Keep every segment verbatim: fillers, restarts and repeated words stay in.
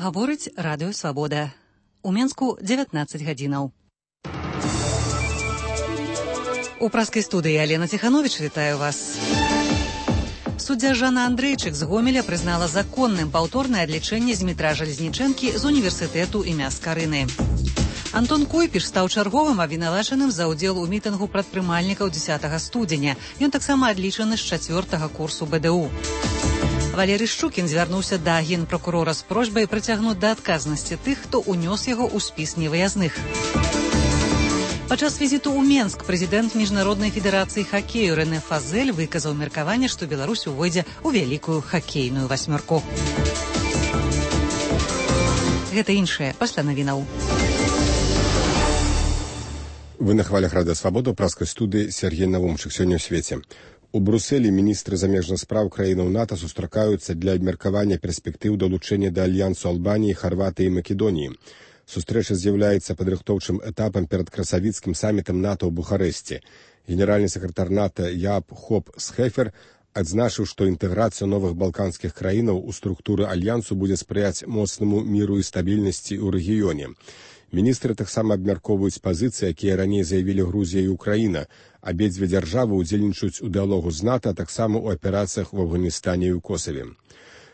Гаворыць радыё «Свабода». У Менску дзевятнаццаць гадзінаў. У праскай студыі Алена Ціхановіч вітаю вас. Суддзя Жанна Андрейчык з Гомеля прызнала законным паўторнае адлічэнне Змітра Жалезнічэнкі з універсітэту імя Скарыны. Антон Койпіш стаў чарговым абвінавачаным за ўдзел у мітынгу прадпрымальнікаў дзесятага студзеня. Ён таксама адлічаны з чацвёртага курсу бэ дэ у. Валерый Шчукін звярнуўся да генпракурора з просьбай прыцягнуць да адказнасці тых, хто ўнёс яго ў спіс невыязных. Падчас візіту ў Менск прэзідэнт Міжнароднай федэрацыі хакею Рэне Фазель выказаў меркаванне, што Беларусь увойдзе ў вялікую хакейную васьмёрку. Гэта іншае пасля навінаў. Вы на хвалях радыё «Свабода», праскай студыі Сергей Навумчык. Сёння ў свеце. У Брусэлі міністры замежных спраў краінаў НАТО сустракаюцца для абмеркавання перспектыў далучэння да альянсу Албаніі, Харватыі і Македоніі. Сустрэча з'яўляецца падрыхтоўчым этапам перад красавіцкім самітам НАТО ў Бухарэсце. Генеральны сакратар НАТО Яап Хоп Схефер адзначыў, што інтэграцыя новых балканскіх краінаў у структуры альянсу будзе спрыяць моцнаму міру і стабільнасці ў рэгіёне. Міністры таксама абмяркоўваюць пазіцыі, якія раней заявілі Грузія і Украіна. Абедзве дзяржавы ўдзельнічаюць у дыалогу з НАТО, а таксама ў аперацыях у Афганістане і ў Косаве.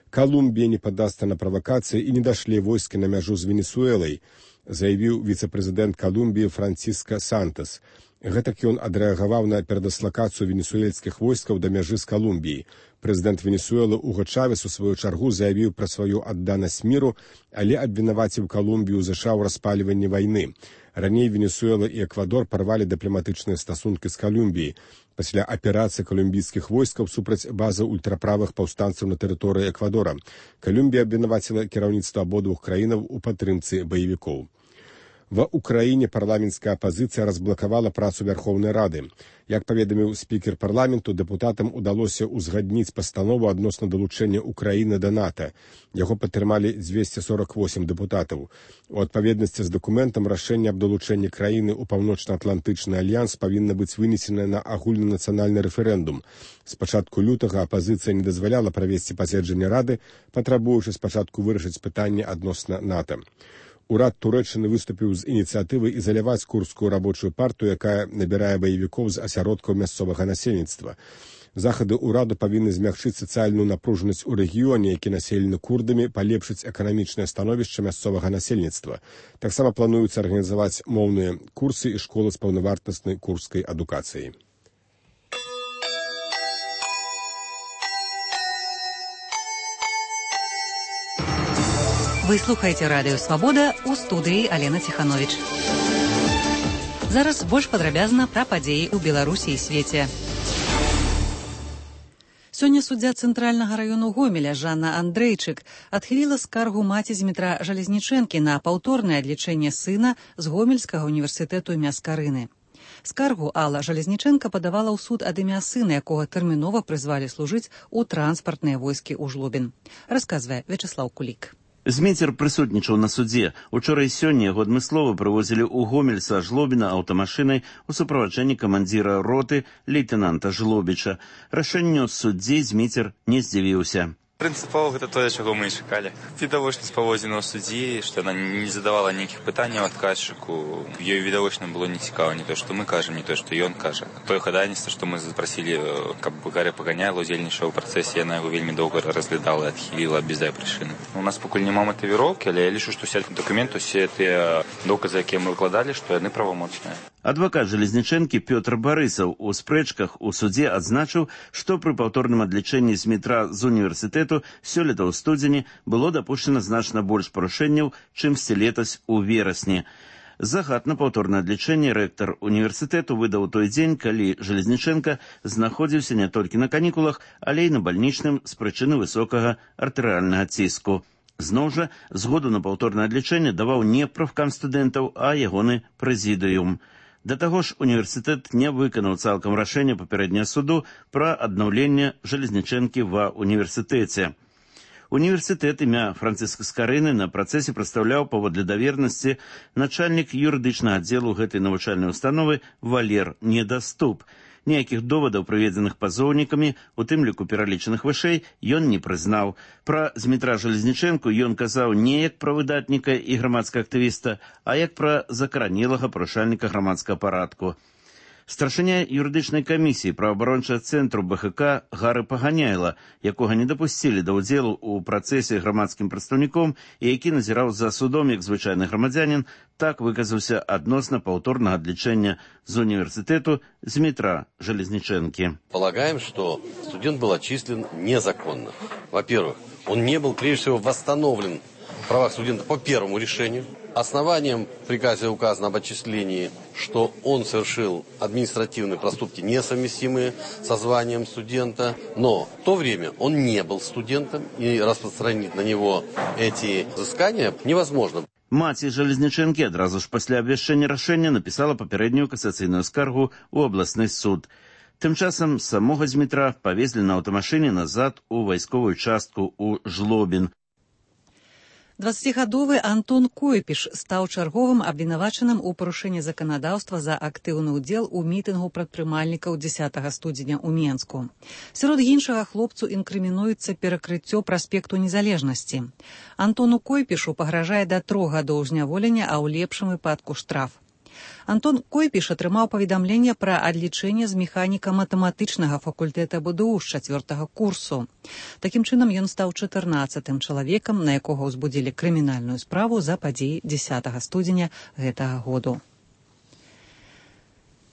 Калумбія не паддасца на правакацыі і не дашле войскі на мяжу з Венесуэлай, заявіў віцэ-прэзідэнт Калумбіі Франциско Сантос. Гэтак ён адрэагаваў на перадаслакацыю венесуэльскіх войскаў да мяжы з Калумбіяй. Прэзідэнт Венесуэлы Уго Чавес у сваю чаргу заявіў пра сваю адданасць міру, але абвінаваціў Калумбію ў ЗША ў распальванні вайны. Раней Венесуэла і Эквадор парвалі дыпламатычныя стасункі з Калумбіяй пасля аперацыі калумбійскіх войскаў супраць базы ультраправых паўстанцаў на тэрыторыі Эквадора. Калумбія абвінаваціла кіраўніцтва абодвух краінаў у падтрымцы баевікоў. Ва Украіне парламенцкая апазіцыя разблакавала працу Вярхоўнай Рады. Як паведаміў спікер парламенту, дэпутатам удалося ўзгадніць пастанову адносна далучэння Украіны да НАТО. Яго падтрымалі дзвесце сорак восем дэпутатаў. У адпаведнасці з дакументам рашэнне аб далучэнні краіны ў паўночна-атлантычны альянс павінна быць вынесенае на агульнанацыянальны рэферэндум. З пачатку лютага апазіцыя не дазваляла правесці паседжанне Рады, патрабуючы спачатку вырашыць пытанне адносна НАТО. Урад Турэччыны выступіў з ініцыятывай ізаляваць курдскую рабочую партыю, якая набірае баевікоў з асяродкаў мясцовага насельніцтва. Захады ўраду павінны змягчыць сацыяльную напружанасць у рэгіёне, які населены курдамі, палепшыць эканамічнае становішча мясцовага насельніцтва. Таксама плануецца арганізаваць моўныя курсы і школы з паўнавартаснай курдскай адукацыяй. Вы слухаеце радыё «Свабода», у студыі Алена Ціхановіч. Зараз больш падрабязна пра падзеі ў Беларусі і свеце. Сёння суддзя цэнтральнага раёну Гомеля Жанна Андрейчык адхіліла скаргу маці Змітра Жалезнічэнкі на паўторнае адлічэнне сына з Гомельскага універсітэту імя Скарыны. Скаргу Алла Жалезнічэнка падавала ў суд ад імя сына, якога тэрмінова прызвалі служыць у транспартныя войскі ў Жлобін. Расказвае Вячеслаў Кулік. Зміцер прысутнічаў на судзе. Учора і сёння яго адмыслова прывозілі ў Гомель са Жлобіна аўтамашынай у суправаджэнні камандзіра роты лейтэнанта Жлобіча. Рашэнню суддзей Зміцер не здзівіўся. Прынцыпова гэта тое, чаго мы і чакалі. Відавочна паводзіна ў суддзі, што яна не задавала ніякіх пытанняў адказчыку. Ёй відавочна было не цікава не то, што мы кажам, не то, што ён кажа. Тое хадайніцтва, што мы запрасілі, каб Гаря Паганяйла ўдзельнічаў у працэсе, яна яго вельмі доўга разглядала і адхіліла без дай прычыны. У нас пакуль няма матывіроўкі, але я лічу, што ўсе дакументы, усе тыя доказы, якія мы выкладалі, што яны правамоцныя. Адвакат Жалезнічэнкі Пётр Барысаў у спрэчках у судзе адзначыў, што пры паўторным адлічэнні Змітра з універсітэту сёлета ў студзені было дапушчана значна больш парушэнняў, чымсьці летась у верасні. Загад на паўторнае адлічэнне рэктар універсітэту выдаў той дзень, калі Жалезнічэнка знаходзіўся не толькі на канікулах, але і на бальнічным з прычыны высокага артэрыяльнага ціску. Зноў жа, згоду на паўторнае адлічэнне даваў не прафкам студэнтаў, а ягоны прэзідыум. Да таго ж універсітэт не выканаў цалкам рашэнне папярэдняга суду пра аднаўленне Жалезнічэнкі ва універсітэце. Універсітэт імя Франциска Скарыны на працэсе прадстаўляў паводле давернасці начальнік юрыдычнага аддзелу гэтай навучальнай установы Валер Недаступ. Ніякіх довадаў, прыведзеных пазоўнікамі, у тым ліку пералічаных вышэй, ён не прызнаў. Пра Змітра Жалезнічэнку ён казаў не як пра выдатніка і грамадскага актывіста, а як пра закаранелага парушальніка грамадскага парадку. Старшыня юрыдычнай камісіі праваабарончага цэнтру Бэ Ха Ка Гары Паганяйла, якога не дапусцілі да ўдзелу ў працэсе грамадскім прадстаўніком і які назіраў за судом як звычайны грамадзянін, так выказаўся адносна паўторнага адлічэння з універсітэту Змітра Жалезнічэнкі. Полагаем, что студент был отчислен незаконно. Во-первых, он не был, прежде всего, восстановлен в правах студента по первому решению. Основанием в приказе указано об отчислении, что он совершил административные проступки, несовместимые со званием студента, но в то время он не был студентом, и распространить на него эти взыскания невозможно. Маці Жалезнічэнкі адразу ж пасля абвяшчэння рашэння напісала папярэднюю касацыйную скаргу ў абласны суд. Тым часам самога Змітра павезлі на аўтамашыне назад у вайсковую частку ў Жлобін. дваццацігадовы Антон Койпіш стаў чарговым абвінавачаным у парушэнні заканадаўства за актыўны ўдзел у мітынгу прадпрымальнікаў дзесятага студзеня ў Менску. Сярод іншага хлопцу інкрымінуецца перакрыццё праспекту Незалежнасці. Антону Койпішу пагражае да трох гадоў зняволення, а ў лепшым выпадку штраф. Антон Койпіш атрымаў паведамленне пра адлічэнне з механіка матэматычнага факультэта Бэ Дэ У з чацвёртага курсу. Такім чынам ён стаў чатырнаццатым чалавекам, на якога ўзбудзілі крымінальную справу за падзеі дзесятага студзеня гэтага году.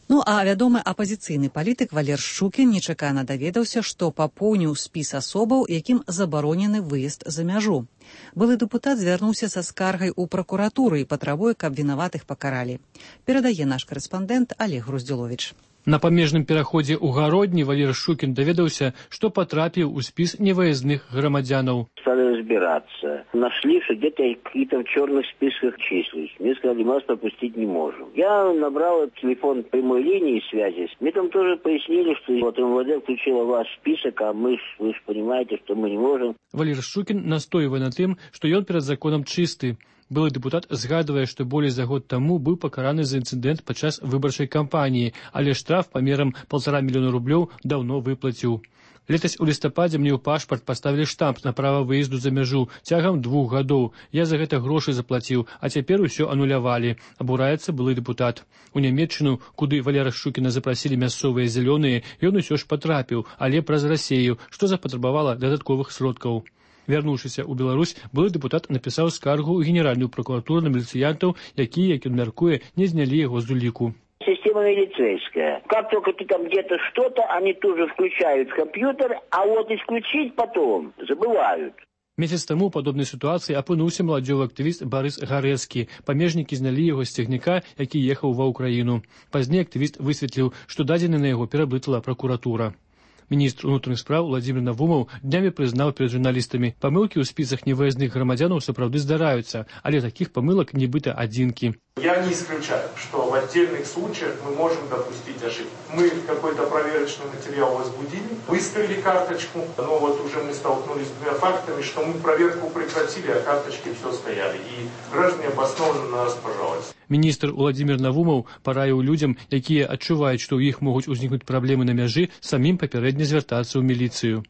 Ну а вядомы апазіцыйны палітык Валер Шчукін нечакана даведаўся, што папоўніў спіс асобаў, якім забаронены выезд за мяжу. Былы дэпутат звярнуўся са скаргай у пракуратуры і патрабуе, каб вінаватых пакаралі. Перадае наш карэспандэнт Олег Груздзіловіч. На памежным пераходзе ў Гародні Валер Шчукін даведаўся, што потрапіў у спіс невыездных грамадзянаў. Стали разбираться. Нашли, что где-то я какие-то в черных списках числюсь. Мне сказали, мы вас пропустить не можем. Я набрал телефон прямой линии связи. Мне там тоже пояснили, что вот Эм Вэ Дэ включила ваш список, а мы, вы же понимаете, что мы не можем. Валер Шчукін настойвае на тым, што ён перад законам чысты. Былы дэпутат згадвае, што болей за год таму быў пакараны за інцыдэнт падчас выбарчай кампаніі, але штраф памерам паўтара мільёна рублёў даўно выплаціў. Летась у лістападзе мне ў пашпарт паставілі штамп на права выезду за мяжу цягам двух гадоў. Я за гэта грошы заплаціў, а цяпер усё анулявалі. Абураецца былы дэпутат. У Нямецчыну, куды Валера Шчукіна запрасілі мясцовыя зялёныя, ён усё ж патрапіў, але праз Расею, што запатрабавала дадатковых сродкаў. Вярнуўшыся ў Беларусь, былы дэпутат напісаў скаргу ў генеральную прокуратуру на міліцыянтаў, якія, як ён мяркуе, не знялі яго з уліку. Система милицейская. Как только ты там где-то что-то, они тут же включают компьютер, а вот исключить потом забывают. Месяц таму ў падобнай сітуацыі апынуўся маладзёвы актывіст Барыс Гарэцкі. Памежнікі знялі яго з цягніка, які ехаў ва ўкраіну. Пазней актывіст высветліў, што дадзены на яго пераблытала пракуратура. Міністр унутраных спраў Владзімір Навумаў днямі прызнаў перад журналістамі, памылкі ў спісах невыездных грамадзянаў сапраўды здараюцца, але такіх памылак нібыта адзінкі. Я не исключаю, что в отдельных случаях мы можем допустить ошибку. Мы какой-то проверочный материал возбудили, выставили карточку, но вот уже мы столкнулись с двумя фактами, что мы проверку прекратили, а карточки все стояли. И граждане обоснованно на нас пожаловались. Міністр Владзімір Навумаў параіў людзям, якія адчуваюць, што ў іх могуць узнікнуць праблемы на мяжы, самім папярэдне звяртацца ў міліцыю.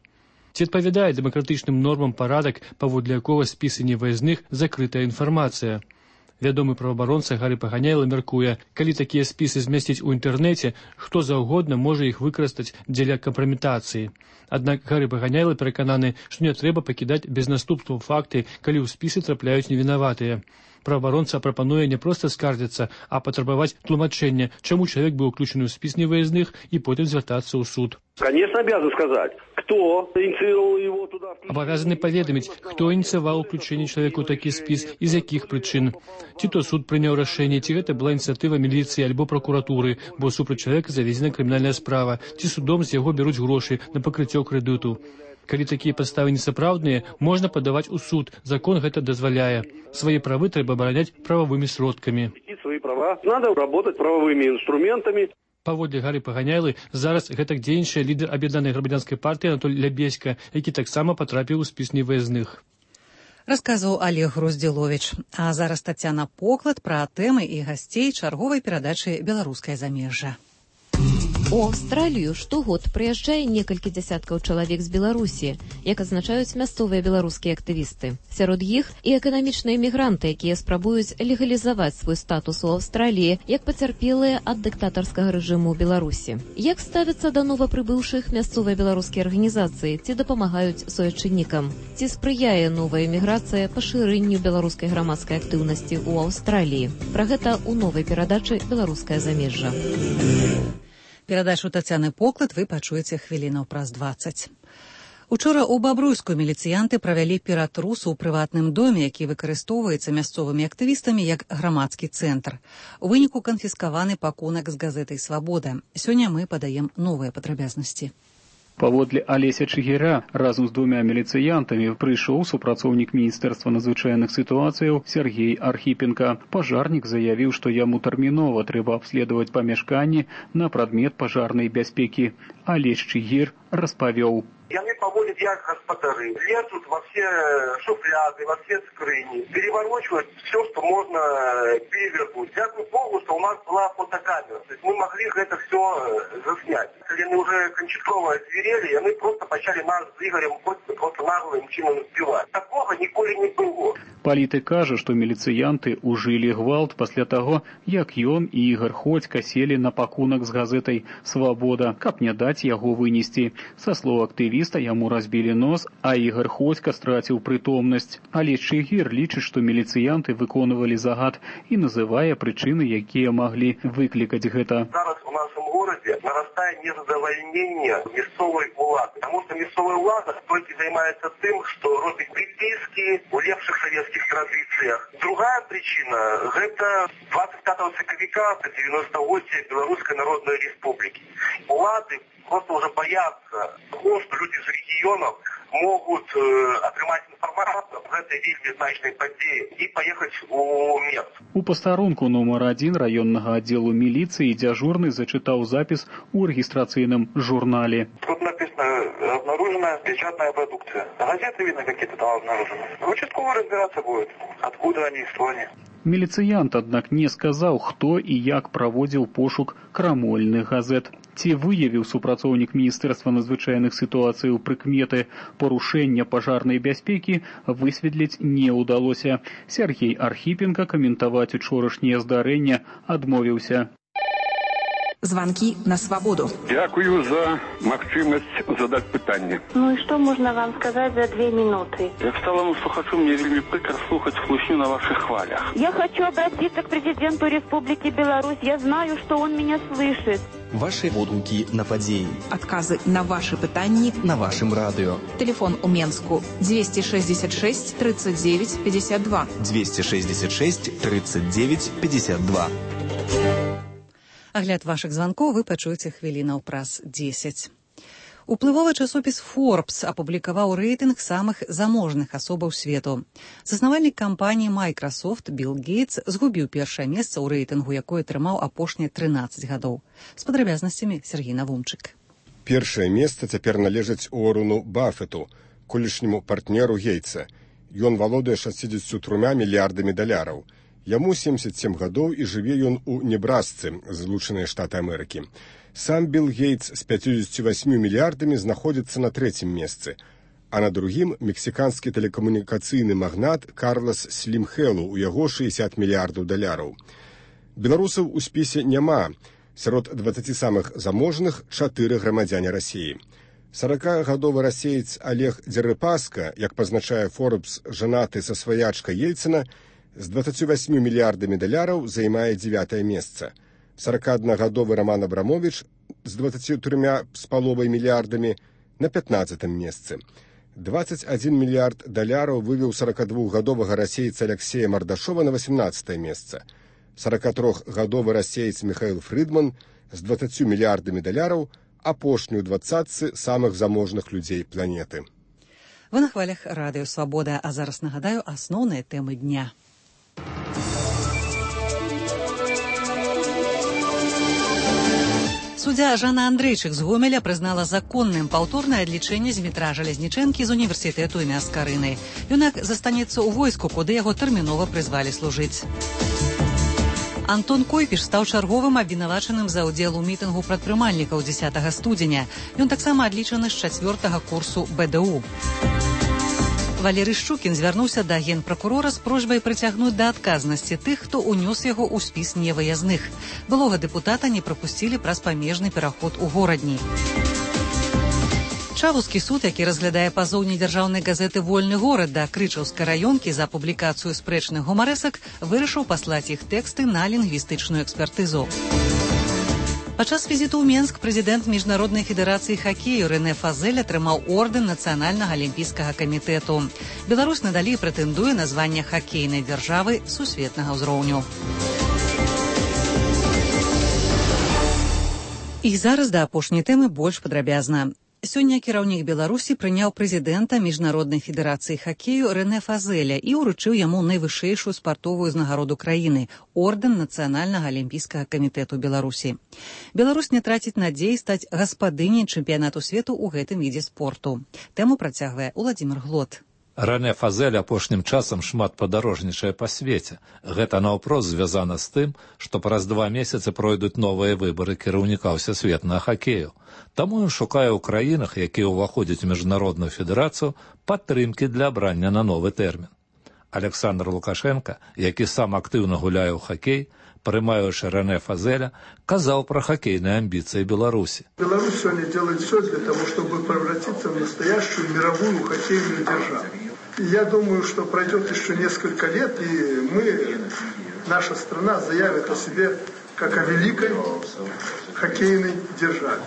Ці адпавядае дэмакратычным нормам парадак, паводле якога спісы невыездных закрытая інфармацыя. Вядомы праваабаронца Гары Паганяйла мяркуе, калі такія спісы змясціць у інтэрнэце, хто заўгодна можа іх выкарыстаць дзеля кампраметацыі. Аднак Гары Паганяйла перакананы, што не трэба пакідаць без наступстваў факты, калі ў спісы трапляюць невінаватыя. Праваабаронца прапануе не проста скардзіцца, а патрабаваць тлумачэння, чаму чалавек быў уключаны ў спіс невыездных і потым звяртацца ў суд. Конечно, обязан сказать, кто инициировал его туда. Абавязаны паведаміць, хто ініцыяваў уключэнне чалавека ў такі спіс і з якіх прычын. Ці то суд прыняў рашэнне, ці гэта была ініцыятыва міліцыі альбо пракуратуры, бо супраць чалавека заведзена крымінальная справа, ці судом з яго бяруць грошы на пакрыццё крэдыту. Калі такія падставы несапраўдныя, можна падаваць у суд. Закон гэта дазваляе. Свае правы трэба абараняць прававымі сродкамі. Свои права надо работать правовыми инструментами. Паводле Гары Паганяйлы, зараз гэтак дзейнічае лідар аб'яднанай грамадзянскай партыі Анатоль Лябеська, які таксама патрапіў у спіс невыездных. Расказваў Олег Груздзіловіч. А зараз Тацяна Поклад пра тэмы і гасцей чарговай перадачы «Беларускае замежжа». У Аўстралію штогод прыязджае некалькі дзясяткаў чалавек з Беларусі, як адзначаюць мясцовыя беларускія актывісты. Сярод іх і эканамічныя мігранты, якія спрабуюць легалізаваць свой статус у Аўстраліі, як пацярпелыя ад дыктатарскага рэжыму ў Беларусі. Як ставяцца да новапрыбыўшых мясцовыя беларускія арганізацыі, ці дапамагаюць суайчыннікам? Ці спрыяе новая эміграцыя пашырэнню беларускай грамадскай актыўнасці ў Аўстраліі? Пра гэта ў новай перадачы «Беларускае замежжа». Перадачу Тацяны Поклад вы пачуеце хвілінаў праз дваццаць. Учора ў Бабруйску міліцыянты правялі ператрус у прыватным доме, які выкарыстоўваецца мясцовымі актывістамі як грамадскі цэнтр. У выніку канфіскаваны пакунак з газетай «Свабода». Сёння мы падаем новыя падрабязнасці. Паводле Алеся Чыгіра разам з двумя міліцыянтамі прыйшоў супрацоўнік Міністэрства надзвычайных сітуацыяў Сергей Архіпенка. Пажарнік заявіў, што яму тэрмінова трэба абследаваць памяшканні на прадмет пажарнай бяспекі. Алесь Чыгір распавёў. Яны поводят як гаспадары, лезут во все шуфляды, во все скрыни, переворачивают все, что можно перевернуть. Дякую Богу, что у нас была фотокамера. То есть мы могли это все заснять. Когда они уже кончатково зверели, они просто почали нас с Игорем просто наглым чином сбивать. Такого николи не было. Палітык кажа, што міліцыянты ўжылі гвалт пасля таго, як ён і Ігар Ходзька селі на пакунак з газетай «Свабода», каб не даць яго вынесці. Са слоў актывіста яму разбілі нос, а Ігар Ходзька страціў прытомнасць. Але Чыгір лічыць, што міліцыянты выконвалі загад і называе прычыны, якія маглі выклікаць гэта. Зараз у нашем городе нарастает незадовольнение мясцовой улады, потому что мясцовая улада только занимается тем, что робит приписки у лепших советских традициях. Другая причина – это двадцать пятого сакавіка девяносто восьмой Белорусской Народной Республики. Улады просто уже боятся того, что люди из регионов могут э, атрымаць інфармацыю аб гэтай вельмі значнай падзеі і паехаць у мест. У пастарунку нумар адзін раённага аддзелу міліцыі дзяжурны зачытаў запіс у рэгістрацыйным журнале. Тут написано «Обнаружена печатная продукция». Газеты, видно, какие-то там обнаружены. Участковый разбираться будет, откуда они, что они. Міліцыянт, аднак, не сказаў, хто і як праводзіў пошук крамольных газет. Ці выявіў супрацоўнік Міністэрства надзвычайных сітуацыяў прыкметы парушэння пажарнай бяспекі, высветліць не ўдалося. Сергей Архіпенка каментаваць учорашняе здарэнне адмовіўся. Звонки на свободу. Дякую за магчимость задать питание. Ну и что можно вам сказать за две минуты? Я к сталому слухачу, мне вельми прикро слухать слушню на ваших хвалях. Я хочу обратиться к президенту Республики Беларусь. Я знаю, что он меня слышит. Ваши водгуки на падзеі. Отказы на ваши пытанні на вашем радио. Телефон у Менску двести шестьдесят шесть тридцать девять пятьдесят два. двести шестьдесят шесть тридцать девять пятьдесят два. Агляд вашых званкоў вы пачуеце хвілінаў праз дзесяць. Уплывовы часопіс Forbes апублікаваў рэйтынг самых заможных асобаў свету. Заснавальнік кампаніі Microsoft Билл Гейтс згубіў першае месца ў рэйтынгу, якое атрымаў апошнія трынаццаць гадоў. З падрабязнасцямі Сергей Навумчык. Першае месца цяпер належыць Уоррену Баффету, колішняму партнеру Гейтса. Ён валодае шасцідзесятю трёмя мільярдамі даляраў. Яму семьдесят семь гадоў і жыве ён у Небрасцы, Злучаныя Штаты Амерыкі. Сам Билл Гейтс з пятьюдесятью восьмю мільярдамі знаходзіцца на трэцім месцы, а на другім мексіканскі тэлекамунікацыйны магнат Карлас Слім Хэлу, у яго шэсцьдзесят мільярдаў даляраў. Беларусаў у спісе няма. Сярод дваццаці самых заможных чатыры грамадзяне Расіі. саракагадовы расеец Олег Дзерыпаска, як пазначае Forbes, жанаты са сваячкай Ельцына, з дваццацю восьмю мільярдамі даляраў займае дзевятае месца. саракааднагадовы Роман Абрамович з дваццацю трёмя з паловай мільярдамі на пятнаццатым месцы. дваццаць адзін мільярд даляраў вывеў саракадвухгадовага расейца Алексея Мардашова на васемнаццатае месца. саракатрохгадовы расеец Михаил Фридман з дваццацю мільярдамі даляраў апошнюю двадцатцы самых заможных людзей планеты. Вы на хвалях радыё «Свабода», а зараз нагадаю асноўныя тэмы дня. Суддзя Жанна Андрейчык з Гомеля прызнала законным паўторнае адлічэнне Змітра Жалезнічэнкі з універсітэту імя Скарыны. Юнак застанецца ў войску, куды яго тэрмінова прызвалі служыць. Антон Койпіш стаў чарговым абвінавачаным за ўдзел у мітынгу прадпрымальнікаў дзесятага студзеня. Ён таксама адлічаны з чацвёртага курсу бэ дэ у. Валерый Шчукін звярнуўся да генпракурора з просьбай прыцягнуць да адказнасці тых, хто ўнёс яго ў спіс невыязных. Былога дэпутата не прапусцілі праз памежны пераход у горадні. Чавускі суд, які разглядае пазоў недзяржаўнай газеты «Вольны горад» да Крычаўскай раёнкі за публікацыю спрэчных гумарэсак, вырашыў паслаць іх тэксты на лінгвістычную экспертызу. Падчас візіту ў Менск прэзідэнт Міжнароднай федэрацыі хакею Рэне Фазель атрымаў ордэн Нацыянальнага алімпійскага камітэту. Беларусь надалей прэтэндуе на званне хакейнай дзяржавы сусветнага ўзроўню. І зараз да апошняй тэмы больш падрабязна. Сёння кіраўнік Беларусі прыняў прэзідэнта Міжнароднай федэрацыі хакею Рэне Фазеля і ўручыў яму найвышэйшую спартовую узнагароду краіны – ордэн Нацыянальнага алімпійскага камітэту Беларусі. Беларусь не траціць надзеі стаць гаспадыняй чэмпіянату свету ў гэтым відзе спорту. Тэму працягвае Уладзімір Глот. Рэне Фазель апошнім часам шмат падарожнічае па свеце. Гэта наўпрост звязана з тым, што праз два месяцы пройдуць новыя выбары кіраўніка ўсесветнага хакею. Таму ён шукае ў краінах, якія ўваходзяць у міжнародную федэрацыю, падтрымкі для абрання на новы тэрмін. Александр Лукашенко, які сам актыўна гуляе ў хакей, прымаючы Рэне Фазеля, казаў пра хоккейные амбиции Беларуси. Беларусь сегодня делает все для того, чтобы превратиться в настоящую мировую хоккейную державу. И я думаю, что пройдет еще несколько лет, и мы, наша страна, заявит о себе как о великой хоккейной державе.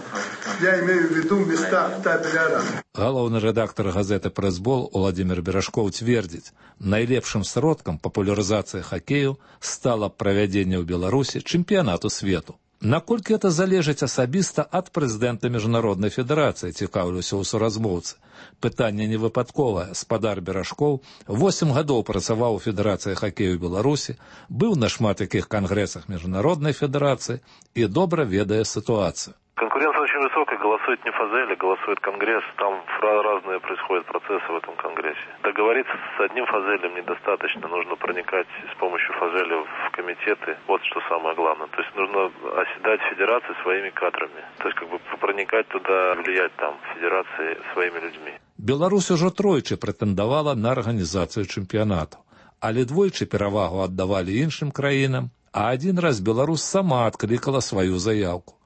Я имею в виду места в табеле Аран. Галоўны рэдактор газеты «Прэсбол» Уладзімір Берашкоў цвердзіць, найлепшым сродкам папулярызацыі хакею стала правядзенне ў Беларусі чэмпіянату свету. Наколькі это залежыць асабіста ад прэзідэнта Міжнароднай федэрацыі, цікаўлюся ў суразмоўцы. Пытанне не выпадковае. Спадар Берашкоў восем гадоў працаваў у Федэрацыі хакею Беларусі, быў на шмат якіх кангрэсах Міжнароднай федэрацыі і добра ведае сітуацыю. Конкуренция очень высокая, голосует не Фазель, голосует Конгресс. Там разные происходят процессы в этом Конгрессе. Договориться с одним Фазелем недостаточно, нужно проникать с помощью Фазеля в комитеты. Вот что самое главное. То есть нужно оседать федерации своими кадрами. То есть как бы проникать туда, влиять там федерации своими людьми. Беларусь ужо тройчы прэтэндавала на арганізацыю чэмпіянату, але двойчы перавагу аддавалі іншым краінам, а адзін раз Беларусь сама адклікала сваю заяўку.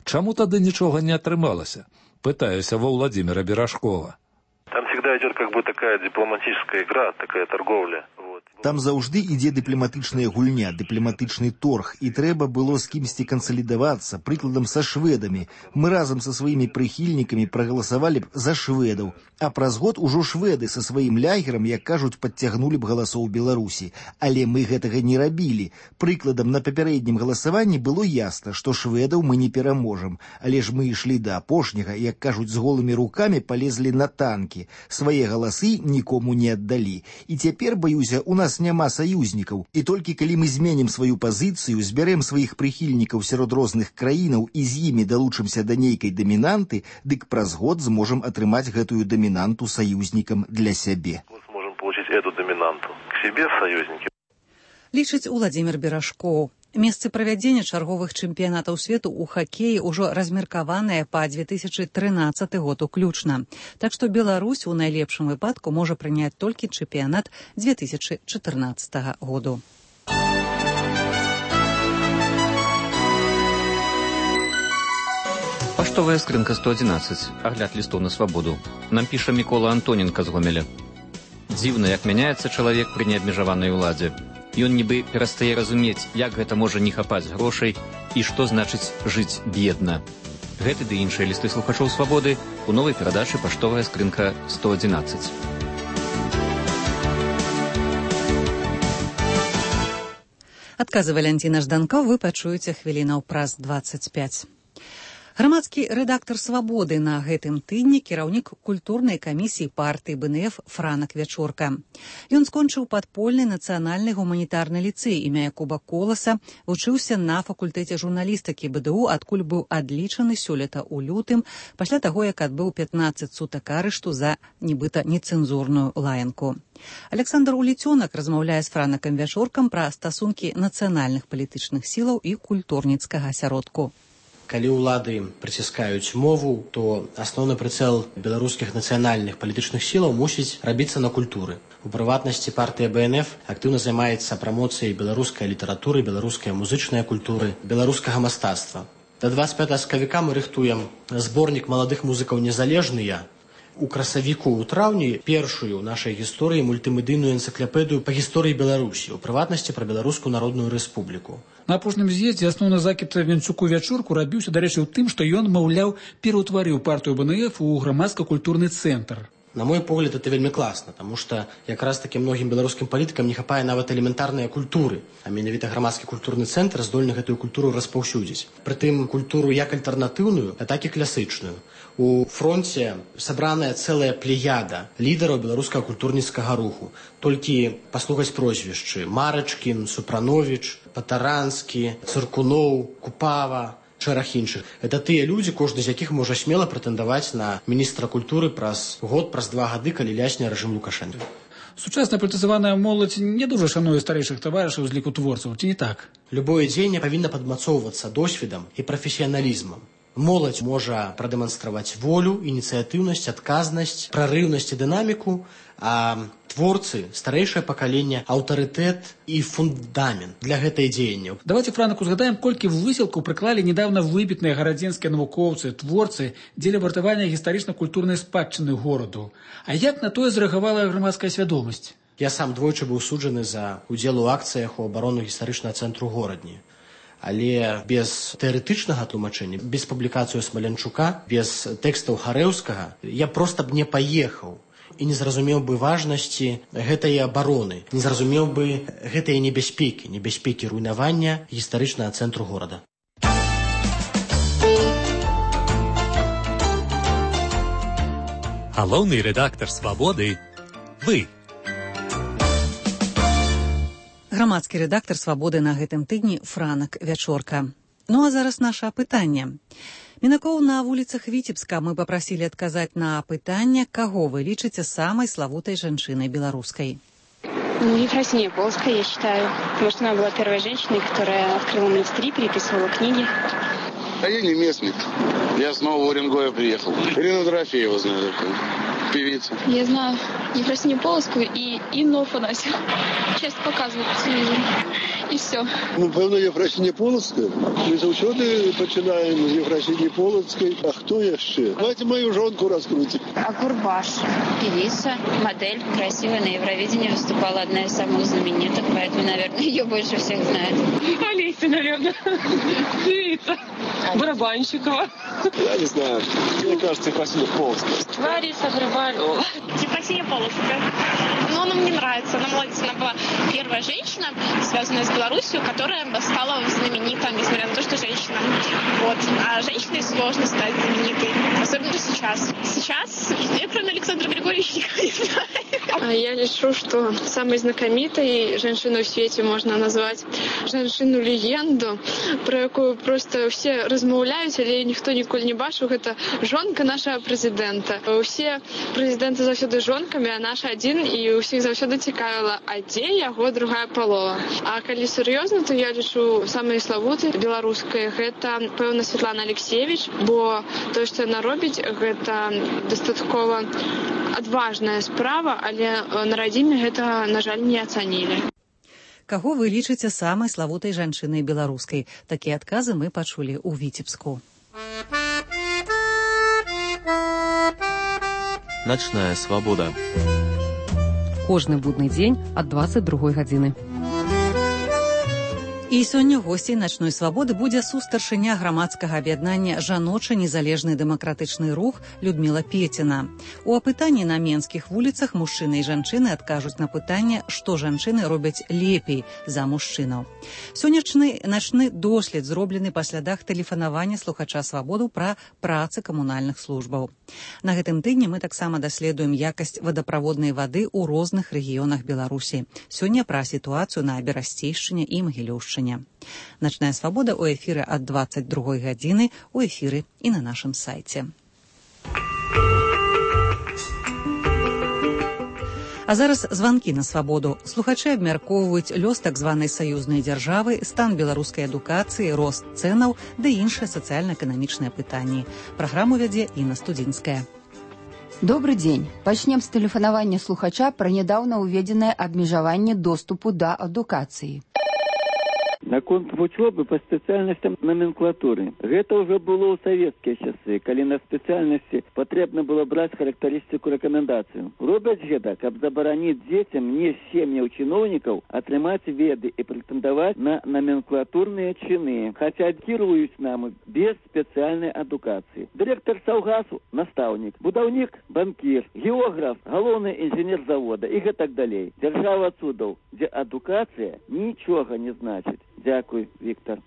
Чаму тады нічога не атрымалася? Пытаюся ва Владимира Берашкова. Там всегда идет как бы такая дипломатическая игра, такая торговля. Там заўжды ідзе дыпламатычная гульня, дыпламатычны торг, і трэба было з кімсьці кансалідавацца, прыкладам са шведамі. Мы разам са сваімі прыхільнікамі прагаласавалі б за шведаў, а праз год ужо шведы са сваім лягерам, як кажуць, падцягнулі б галасоў Беларусі. Але мы гэтага не рабілі. Прыкладам, на папярэднім галасаванні было ясна, што шведаў мы не пераможам. Але ж мы ішлі да апошняга, як кажуць, з голымі рукамі палезлі на танкі. Свае галасы нікому не аддалі. І цяпер, баюся, у нас няма саюзнікаў, і толькі калі мы зменім сваю пазіцыю, збярэм сваіх прыхільнікаў сярод розных краінаў і з імі далучымся да нейкай дамінанты, дык праз год зможам атрымаць гэтую дамінанту саюзнікам для сябе. Мы зможам получить эту дамінанту к себе в саюзнікі. Лічыць Уладзімір Берашкоў. Месцы правядзення чарговых чэмпіянатаў свету ў хакеі ўжо размеркаваныя па две тысячы трынаццаты год уключна. Так што Беларусь у найлепшым выпадку можа прыняць толькі чэмпіянат две тысячы чатырнаццатага году. Паштовая скрынка сто адзінаццаць. Агляд лістоў на свабоду. Нам піша Мікола Антоненка з Гомеля. Дзіўна, як мяняецца чалавек пры неабмежаванай уладзе. Ён нібы перастае разумець, як гэта можа не хапаць грошай і што значыць жыць бедна. Гэты ды іншыя лісты слухачоў свабоды у новай перадачы «Паштовая скрынка сто адзінаццаць». Адказы Валянціна Жданкоў вы пачуеце хвілінаў праз дваццаць пяць. Грамадскі рэдактар «Свабоды» на гэтым тыдні кіраўнік культурнай камісіі партыі бэ эн эф Франак Вячорка. Ён скончыў падпольны нацыянальны гуманітарны ліцэй імя Якуба Коласа, вучыўся на факультэце журналістыкі бэ дэ у, адкуль быў адлічаны сёлета ў лютым, пасля таго, як адбыў пятнаццаць сутак арышту за нібыта нецэнзурную лаянку. Александр Уліцёнак размаўляе з Франакам Вячоркам пра стасункі нацыянальных палітычных сілаў і культурніцкага асяродку. Калі ўлады прыціскаюць мову, то асноўны прыцэл беларускіх нацыянальных палітычных сілаў мусіць рабіцца на культуры. У прыватнасці партыя бэ эн эф актыўна займаецца прамоцыяй беларускай літаратуры, беларускай музычнай культуры, беларускага мастацтва. Да дваццаць пятага сакавіка мы рыхтуем зборнік маладых музыкаў незалежныя. У красавіку ў траўні першую ў нашай гісторыі мультымедыйную энцыклапедыю па гісторыі Беларусі, у прыватнасці пра Беларускую народную рэспубліку. На апошнім з'ездзе асноўны закід Венцуку Вячорку рабіўся, дарэчы, ў тым, што ён, маўляў, пераўтварыў партыю бэ эн эф у грамадска-культурны цэнтр. На мой погляд, это вельмі класна, таму што якраз таки многім беларускім палітыкам не хапае нават элементарныя культуры, а менавіта грамадскі культурны цэнтр здольны гэтую культуру распаўсюдзіць. Прытым культуру як альтэрнатыўную, а так і класычную. У фронце сабраная цэлая плеяда лідараў беларускага культурніцкага руху. Толькі паслухаць прозвішчы: Марачкін, Супрановіч, Патаранскі, Цыркуноў, Купава, шэраг іншых. Это тыя людзі, кожны з якіх можа смела прэтэндаваць на міністра культуры праз год, праз два гады, калі лясне рэжым Лукашэнка. Сучасная палітызаваная моладзь не дуже шануе старэйшых таварышаў з ліку творцаў, ці не так? Любое дзеянне павінна падмацоўвацца досведам і прафесіяналізмам. Моладзь можа прадэманстраваць волю, ініцыятыўнасць, адказнасць, прарыўнасць і дынаміку, а творцы, старэйшае пакаленне, аўтарытэт і фундамент для гэтай дзеянняў. Давайте, Франак, узгадаем, колькі высілкаў прыклалі недавно выбітныя гарадзенскія навукоўцы, творцы дзеля вартавання гістарычна-культурнай спадчыны гораду. А як на тое зрэагавала грамадская свядомасць? Я сам двойчы быў суджаны за удзел у акцыях у абарону гістарычнага цэнтру горадні. Але без тэарэтычнага тлумачэння, без публікацыю Смалянчука, без тэкстаў Харэўскага я проста б не паехаў і не зразумеў бы важнасці гэтай абароны, не зразумеў бы гэтай небяспекі, небяспекі руйнавання гістарычнага цэнтру горада. Галоўны рэдактар «Свабоды» – вы. Грамадскі рэдактар «Свабоды» на гэтым тыдні Франак Вячорка. Ну а зараз наше апытанне. Мінакоў на вуліцах Віцебска мы папрасілі адказаць на апытанне, каго вы лічыце самай славутай жанчынай беларускай. Ну, Ефросинья Полоцкая, я считаю. Потому что она была первой женщиной, которая открыла монастыри, переписывала книги. А я не местный. Я с Нового Уренгоя приехал. Ирина Дорофеева знаю такую. Певица. Я знаю Ефросинью Полоцкую и Инну Афанасьеву. Часто показывают по телевизору. І все. Ну, певно, Єфросинія Полоцька. Ми завжди починаємо з Єфросинії Полоцької. А хто ще? Давайте мою жонку раскрутим. А Курбаш, певица, модель, красивая, на Евровидении выступала, одна из самых знаменитых, поэтому, наверное, ее больше всех знают. Олеся, наверное. Певица. Барабанщикова. Я не знаю. Мне кажется, Ефросинья Полоцкая. Лариса Грибалева. Ефросинья Полоцкая. Но она мне нравится. Она молодец. Она была первая женщина, связанная с Беларусью, которая стала знаменитой, несмотря на то, что женщина. Вот. А женщиной сложно стать знаменитой. Особенно сейчас. Сейчас я, кроме Александра Григорьевича, никого не знаю. Я лишу, что самой знакомитой женщиной в свете можно назвать женщину-легенду, про якую просто все размаўляюць, але ніхто ніколі не бачыў. Гэта жонка нашага прэзідэнта. Усе прэзідэнты заўсёды жонкамі, а наш адзін, і ўсіх заўсёды цікавіла, а дзе яго другая палова. А калі сур'ёзна, то я лічу самай славутай беларускай гэта, пэўна, Святлана Алексеевич, бо тое, што яна робіць, гэта дастаткова адважная справа, але на радзіме гэта, на жаль, не ацанілі. Каго вы лічыце самай славутай жанчынай беларускай? Такія адказы мы пачулі ў Віцебску. Начная свабода. Кожны будны дзень ад дваццаць другой гадзіны. І сёння госцей начной свабоды будзе сустаршыня грамадскага аб'яднання «Жаночы незалежны дэмакратычны рух» Людміла Пеціна. У апытанні на менскіх вуліцах мужчыны і жанчыны адкажуць на пытанне, што жанчыны робяць лепей за мужчынаў. Сённяшні начны дослед зроблены па слядах тэлефанавання слухача свабоду пра працы камунальных службаў. На гэтым тыдні мы таксама даследуем якасць вадаправоднай вады ў розных рэгіёнах Беларусі. Сёння пра сітуацыю на Берасцейшчыне і Магілёўшчыне. Начная свабода ў эфіры ад дваццаць другой гадзіны, у эфіры і на нашым сайце. А зараз званкі на свабоду. Слухачы абмяркоўваюць лёс так званай саюзнай дзяржавы, стан беларускай адукацыі, рост цэнаў ды іншыя сацыяльна-эканамічныя пытанні. Праграму вядзе Інна Студзінская. Добрый дзень. Пачнем з тэлефанавання слухача пра нядаўна ўведзенае абмежаванне доступу да адукацыі. Наконт вучобы па спецыяльнасцям номенклатуры. Гэта ўжо было ў савецкія часы, калі на спецыяльнасці патрэбна было браць характарыстыку рэкамендацыю. Робяць гэта, каб забараніць дзецям не сем'яў чыноўнікаў атрымаць веды і прэтэндаваць на номенклатурныя чыны, хаця кіруюць нам без спецыяльнай адукацыі. Дырэктар саўгасу – настаўнік, будаўнік – банкір, географ – галоўны інжынер завода і гэтак далей. Дзяржава цудаў, дзе адукацыя нічога не значыць. Дякуй, Віктор.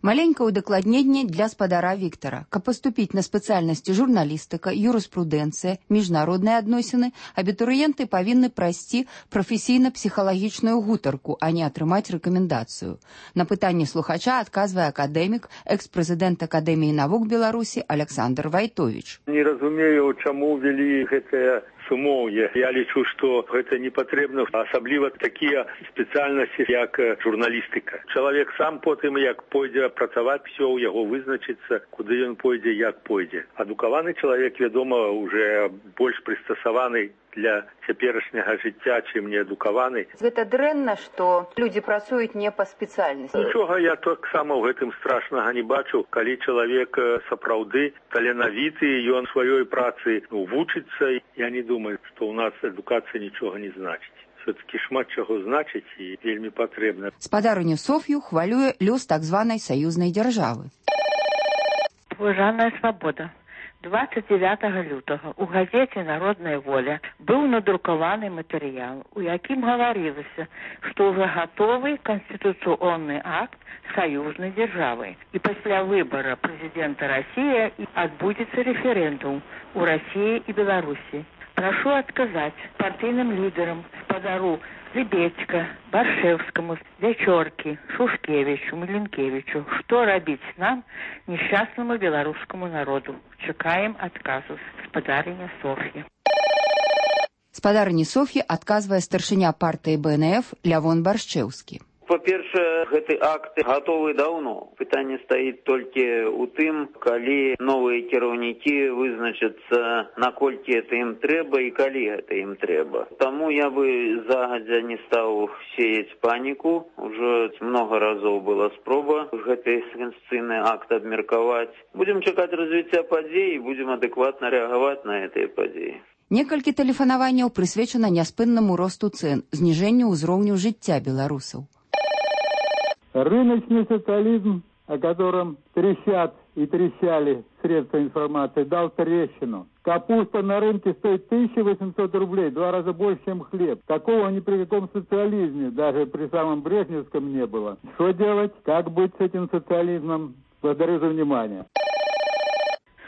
Маленькае удакладненне для спадара Віктара. Каб паступіць на спецыяльнасці журналістыка, юрыспрудэнцыя, міжнародныя адносіны, абітурыенты павінны прайсці прафесійна-псіхалагічную гутарку, а не атрымаць рэкамендацыю. На пытанне слухача адказвае акадэмік, экс-прэзідэнт Акадэміі навук Беларусі Александр Вайтовіч. Не разумею, чаму ввялі гэтае сумоўе. Я лічу, што гэта не патрэбна, асабліва такія спецыяльнасці, як журналістыка. Чалавек сам потым, як пойдзе працаваць, все ў яго вызначыцца, куды ён пойдзе, як пойдзе. Адукаваны чалавек, вядома, уже больш прыстасаваны для цяперашняга жыцця, чым неадукаваны. Гэта дрэнна, што людзі працуюць не па спецыяльнасці. Нічога я таксама ў гэтым страшнага не бачу, калі чалавек сапраўды таленавіты, ён сваёй працы ну, вучыцца. Я не думаю, што ў нас адукацыя нічога не значыць. Все-таки шмат чаго значыць і вельмі патрэбна. Спадарыню Соф'ю хвалюе лёс так званай саюзнай дзяржавы. Уважаная свабода. двадцать девятого лютага у газеце «Народная воля» быў надрукаваны матэрыял, у якім гаварылася, што ўжо гатовы канстытуцыйны акт саюзнай дзяржавы. І пасля выбара прэзідэнта Расіі адбудзецца рэферэндум у Расіі і Беларусі. Прашу адказаць партыйным лідарам, спадару Лебедька, Баршэвскаму, Вячоркі, Шушкевічу, Міленкевічу, што рабіць нам, несчастнаму беларускаму народу. Чакаем адказу. Спадарыня Соф'я. Спадарыні Соф'і адказвае старшыня партыі Бэ Эн Эф Лявон Баршчэўскі. Па-першае, гэты акт гатовы даўно. Пытанне стаіць толькі ў тым, калі новыя кіраўнікі вызначацца, наколькі гэта ім трэба і калі гэта ім трэба. Таму я бы загадзя не стаў сеяць паніку. Ужо многа разоў была спроба гэты канстытуцыйны акт абмеркаваць. Будзем чакаць развіцця падзей і будзем адэкватна рэагаваць на гэтыя падзеі. Некалькі тэлефанаванняў прысвечана няспыннаму росту цэн, зніжэнню ўзроўню жыцця беларусаў. Рыночный социализм, о котором трещат и трещали средства информации, дал трещину. Капуста на рынке стоит тысяча восемьсот рублей, два раза больше, чем хлеб. Такого ни при каком социализме, даже при самом брежневском, не было. Что делать? Как быть с этим социализмом? Благодарю за внимание.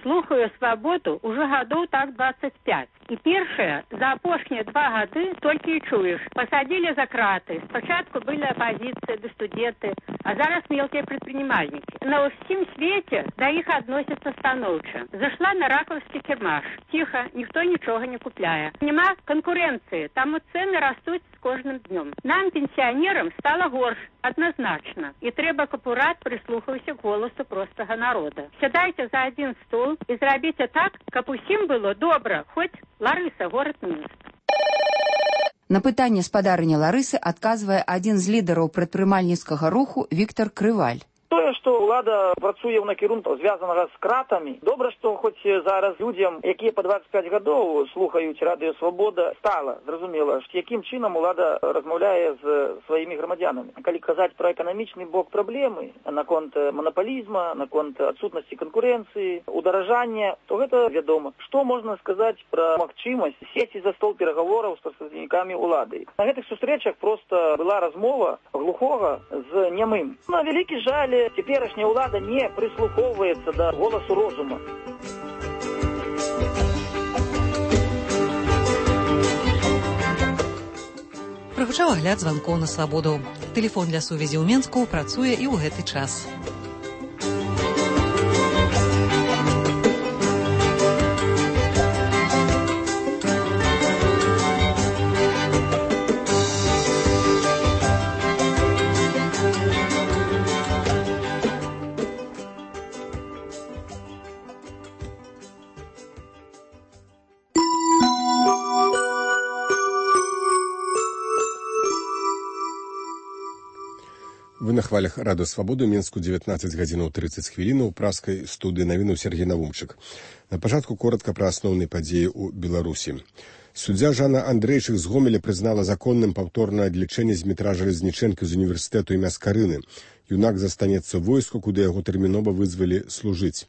Слухаю свабоду уже гадоў так двадцать пять. І першае, за апошнія два гады толькі і чуеш. Пасадзілі за краты. Спачатку былі апазіцыя ды студэнты, а зараз мелкія прадпрымальнікі. На ўсім свеце да іх адносяцца станоўча. Зашла на ракаўскі кірмаш. Ціха, ніхто нічога не купляе. Нема канкурэнцыі, таму цэны растуць з кожным днём. Нам, пенсіянерам, стала горш, адназначна. І трэба, каб урад прыслухаўся к голасу простага народа. Сядайце за адзін стол і зрабіце так, каб усім было добра, хоць Ларыса, горад Мінск. На пытанне спадарыні Ларысы адказвае адзін з лідараў прадпрымальніцкага руху Віктор Крываль. Тое, што ўлада працуе ў накірунку звязанага з кратамі. Добра, што хоць зараз людзям, якія па дваццаць пяць гадоў слухаюць радыё Свабода, стала зразумела, якім чынам улада размаўляе з сваімі грамадзянамі. Калі казаць пра эканамічны бок праблемы, наконт манапалізма, наконт адсутнасці канкурэнцыі, ударажання, то гэта вядома. Што можна сказаць пра магчымасць сесці за стол перагавораў з прадстаўнікамі улады? На гэтых сустрэчах проста была размова глухога з нямым. На вялікі жаль, цяперашняя ўлада не прыслухоўваецца да голасу розума. Прагучаў агляд званкоў на Свабоду. Тэлефон для сувязі ў Менску працуе і ў гэты час. Вы на хвалях Радыё Свабоды, Менску дзевятнаццаць гадзінаў трыццаць хвілінаў, праскай студыі навінаў Сергей Навумчык. На пачатку коротка пра асноўныя падзеі ў Беларусі. Суддзя Жанна Андрэйчык з Гомеля прызнала законным паўторнае адлічэнне Змітра Жалезнічэнкі з універсітэту імя Скарыны. Юнак застанецца ў войску, куды яго тэрмінова вызвалі служыць.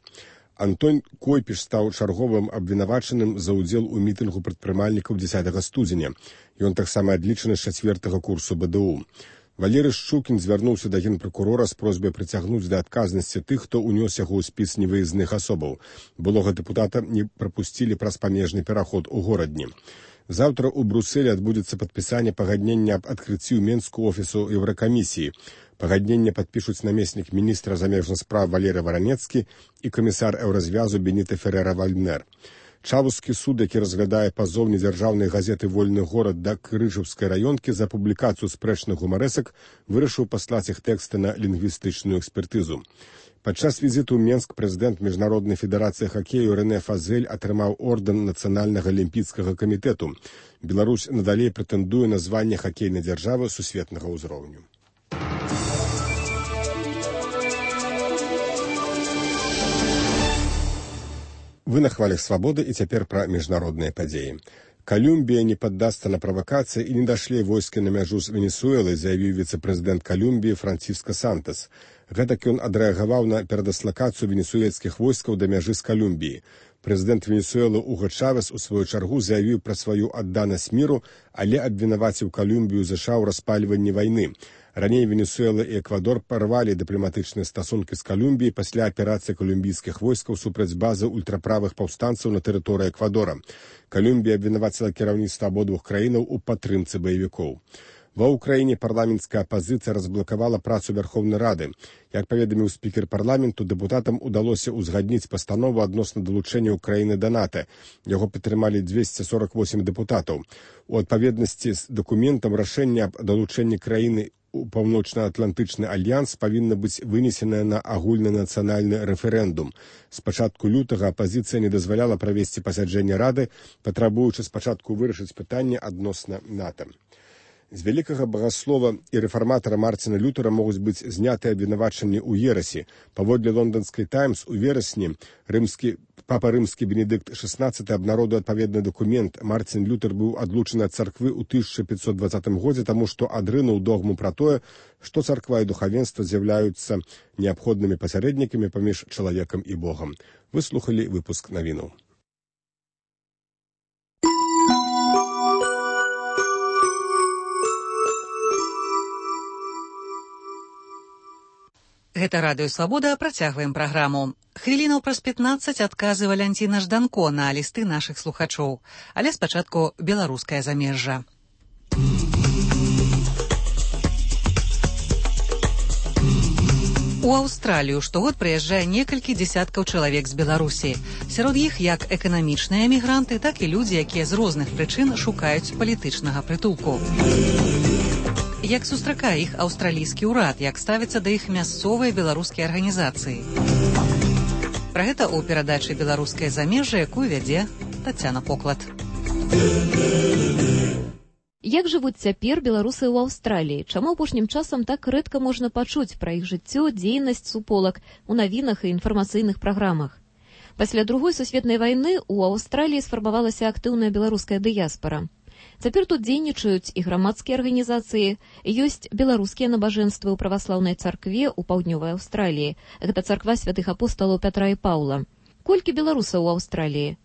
Антон Койпіш стаў чарговым абвінавачаным за ўдзел у мітынгу прадпрымальнікаў дзесятага студзеня. Ён таксама адлічаны з чацвёртага курсу бэ дэ у. Валерый Шчукін звярнуўся да генпракурора з просьбай прыцягнуць да адказнасці тых, хто ўнёс яго ў спіс невыездных асобаў. Былога дэпутата не прапусцілі праз памежны пераход у горадні. Заўтра ў Брусэлі адбудзецца падпісанне пагаднення аб адкрыцці ў Менску офісу Еўракамісіі. Пагадненне падпішуць намеснік міністра замежных спраў Валерый Варанецкі і камісар еўразвязу Беніта Ферера-Вальднер. Чавускі суд, які разглядае пазоў недзяржаўнай газеты «Вольны горад» да Крыжаўскай раёнкі за публікацыю спрэчных гумарэсак, вырашыў паслаць іх тэксты на лінгвістычную экспертызу. Падчас візіту ў Менск прэзідэнт Міжнароднай федэрацыі хакею Рэне Фазель атрымаў ордэн Нацыянальнага алімпійскага камітэту. Беларусь надалей прэтэндуе на званне хакейнай дзяржавы сусветнага ўзроўню. Вы на хвалях Свабоды і цяпер пра міжнародныя падзеі. Калумбія не паддасца на правакацыі і не дашле войскі на мяжу з Венесуэлай, заявіў віцэ-прэзідэнт Калумбіі Франциско Сантос. Гэтак ён адрэагаваў на перадыслакацыю венесуэльскіх войскаў да мяжы з Калумбіяй. Прэзідэнт Венесуэлы Уго Чавес у сваю чаргу заявіў пра сваю адданасць міру, але абвінаваціў Калумбію ЗША ў распальванні вайны. Раней Венесуэла і Эквадор парвалі дыпламатычныя стасункі з Калумбіяй пасля аперацыі калумбійскіх войскаў супраць базы ультраправых паўстанцаў на тэрыторыі Эквадора. Калумбія абвінаваціла кіраўніцтва абодвух краінаў у падтрымцы баевікоў. Ва ўкраіне парламенцкая апазіцыя разблакавала працу Вярхоўнай Рады. Як паведаміў спікер парламенту, дэпутатам удалося ўзгадніць пастанову адносна далучэння ўкраіны да НАТО. Яго падтрымалі дзвесце сорак восем дэпутатаў. У адпаведнасці з дакументам рашэнне аб далучэнні краіны у паўночна-атлантычны альянс павінна быць вынесенае на агульны нацыянальны рэферэндум. З пачатку лютага апазіцыя не дазваляла правесці пасяджэнне Рады, патрабуючы спачатку вырашыць пытанне адносна НАТО. З вялікага багаслова і рэфарматара Марціна Лютера могуць быць знятыя абвінавачанні ў ерасі. Паводле лонданскай «Таймс» у верасні рымскі папа рымскі Бенедыкт шаснаццаты абнародуе адпаведны дакумент. Марцін Лютер быў адлучаны ад царквы ў тысяча пятьсот двадцатым годзе, таму што адрынуў догму пра тое, што царква і духавенства з'яўляюцца неабходнымі пасярэднікамі паміж чалавекам і Богам. Вы слухалі выпуск навінаў. Гэта Радыё Свабода, працягваем праграму. Хвілінаў праз пятнаццаць адказы Валянціна Жданко на лісты нашых слухачоў. Але спачатку беларускае замежжа. У Аўстралію штогод прыязджае некалькі дзесяткаў чалавек з Беларусі. Сярод іх як эканамічныя эмігранты, так і людзі, якія з розных прычын шукаюць палітычнага прытулку. Як сустракае іх аўстралійскі ўрад, як ставяцца да іх мясцовыя беларускія арганізацыі. Пра гэта ў перадачы «Беларускае замежжа», якую вядзе Тацяна Поклад. Як жывуць цяпер беларусы ў Аўстраліі? Чаму апошнім часам так рэдка можна пачуць пра іх жыццё, дзейнасць суполак у навінах і інфармацыйных праграмах? Пасля другой сусветнай вайны ў Аўстраліі сфармавалася актыўная беларуская дыяспара. Цяпер тут дзейнічаюць і грамадскія арганізацыі, ёсць беларускія набажэнствы ў праваслаўнай царкве ў паўднёвай Аўстраліі. Гэта царква святых апосталаў Пятра і Паўла. Колькі беларусаў у Аўстраліі?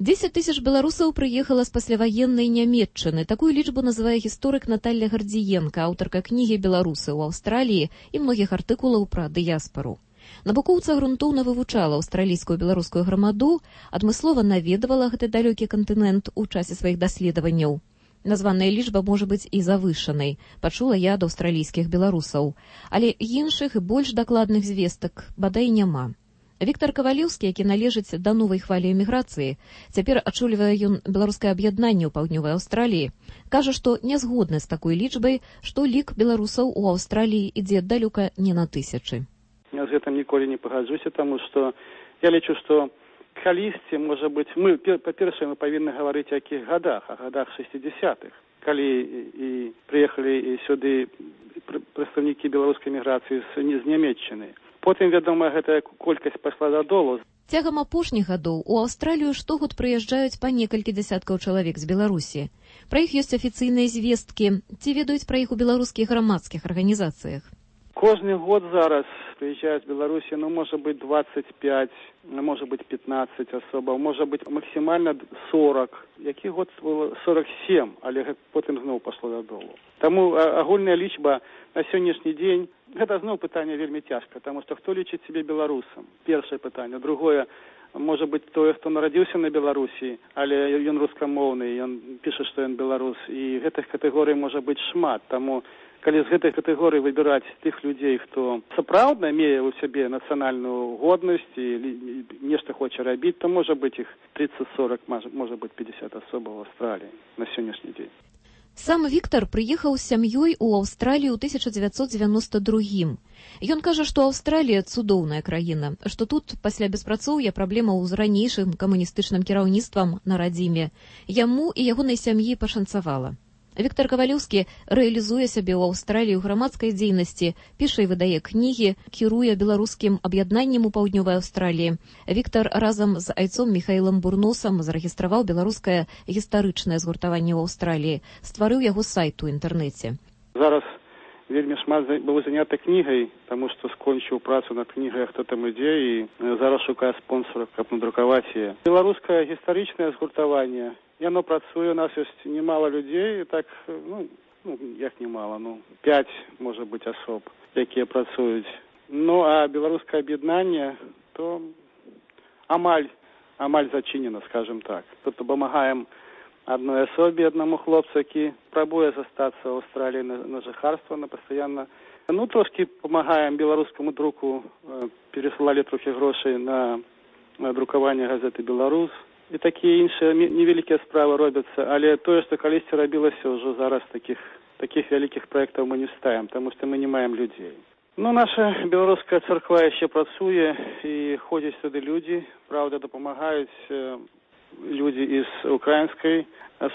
дзесяць тысяч беларусаў прыехала з пасляваеннай Нямецчыны. Такую лічбу называе гісторык Наталья Гардзіенка, аўтарка кнігі «Беларусы ў Аўстраліі» і многіх артыкулаў пра дыяспару. Навукоўца грунтоўна вывучала аўстралійскую беларускую грамаду, адмыслова наведавала гэты далёкі кантынент у часе сваіх даследаванняў. Названая лічба можа быць і завышанай, пачула я ад аўстралійскіх беларусаў. Але іншых і больш дакладных звестак бадай няма. Віктар Кавалеўскі, які належыць да новай хвалі эміграцыі, цяпер ачолівае ён беларускае аб'яднанне ў паўднёвай Аўстраліі, кажа, што не згодны з такой лічбай, што лік беларусаў у Аўстраліі ідзе далёка не на тысячы. Я з гэтым ніколі не пагаджуся, таму што я лічу, што калісьці, можа быць, мы, па-першае, мы павінны гаварыць о якіх гадах, о гадах шэсцідзясятых, калі і прыехалі сюды прадстаўнікі беларускай эміграцыі з Нямецчыны. Потым, вядома, гэтая колькасць пайшла дадолу. Цягам апошніх гадоў у Аўстралію штогод прыязджаюць па некалькі дзясяткаў чалавек з Беларусі. Пра іх ёсць афіцыйныя звесткі. Ці ведаюць пра іх у беларускіх грамадскіх арганізацыях? Кожны год зараз прыязджаюць з Беларусі, ну, можа быць, двадцать пять, можа быць, пятнадцать асобаў, можа быць, максімальна сорок. Які год было сорок семь, але потым зноў пашло дадолу. Таму агульная лічба на сённяшні дзень гэта зноў пытанне вельмі цяжка, таму што хто лічыць сябе беларусам? Першае пытанне. Другое, можа быць, тое, хто нарадзіўся на Беларусі, але ён рускамоўны, ён піша, што ён беларус. І гэтых катэгорый можа быць шмат. Таму, калі з гэтай катэгорыі выбіраць тых людзей, хто сапраўдна мее ў сябе нацыянальную годнасць і нешта хоча рабіць, то можа быць іх тридцать сорок, можа быць пятьдесят асобаў у Аўстраліі на сённяшні дзень. Сам Віктар прыехаў з сям'ёй у Аўстралію ў тысяча дзевяцьсот дзевяноста другім. Ён кажа, што Аўстралія цудоўная краіна, што тут пасля беспрацоўя праблемаў з ранейшым камуністычным кіраўніцтвам на радзіме. Яму і ягонай сям'і пашанцавала. Віктар Кавалеўскі рэалізуе сябе ў Аўстраліі ў грамадскай дзейнасці, піша і выдае кнігі, кіруе беларускім аб'яднаннем у паўднёвай Аўстраліі. Віктар разам з айцом Міхаілам Бурносам зарэгістраваў беларускае гістарычнае згуртаванне ў Аўстраліі, стварыў яго сайт у інтэрнэце. Зараз вельмі шмат было занята кнігай, таму што скончыў працу над кнігай «Хто там ідзе» і зараз шукае спонсора, каб надрукаваць яе. Беларускае гістарычнае згуртаванне, яно працуе, у нас ёсць немало людзей, так, ну, ну, як немало, ну, пять, можа быць, асоб, якія працуюць. Ну, а беларускае аб'яднанне, то амаль, амаль зачынена, скажем так. Тут дапамагаем адной асобе, аднаму хлопцу, які прабуе застацца ў Аўстраліі на, на жыхарства, на пастаянна. Ну, трошки памагаем беларускаму друку, э, пересылалі трохі грошай на, на друкаванне газеты «Беларус». І такія іншыя невялікія справы робяцца, але тое, што калісьці рабілася, ўжо зараз такіх, такіх вялікіх праектаў мы не ставім, таму што мы не маем людзей. Ну, наша беларуская царква яшчэ працуе, і ходзяць сюды людзі, праўда, дапамагаюць э, людзі з украінскай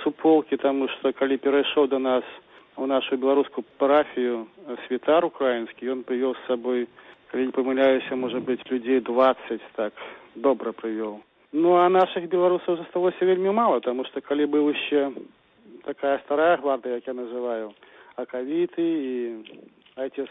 суполкі, таму што калі перайшоў да нас у нашу беларускую парафію святар украінскі, ён прывёў з сабой, калі не памыляюся, можа быць, людзей двадцать, так, добра прывёў. Ну, а наших беларусаў засталося вельмі мало, таму што калі быў яшчэ такая старая гвардыя, як я называю, акавіты і айцец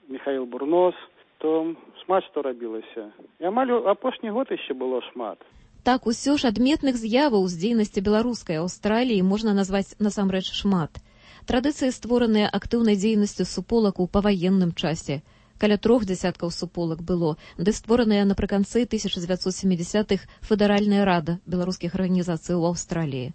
Міхаіл Бурнос, то шмат што рабілася. І амаль апошні год яшчэ было шмат. Так, усё ж адметных з'яваў з дзейнасці беларускай Аўстраліі можна назваць насамрэч шмат. Традыцыі, створаныя актыўнай дзейнасцю суполак у паваенным часе. Каля трох дзясяткаў суполак было, ды створаная напрыканцы тысяча дзевяцьсот сямідзясятых федэральная рада беларускіх арганізацый у Аўстраліі.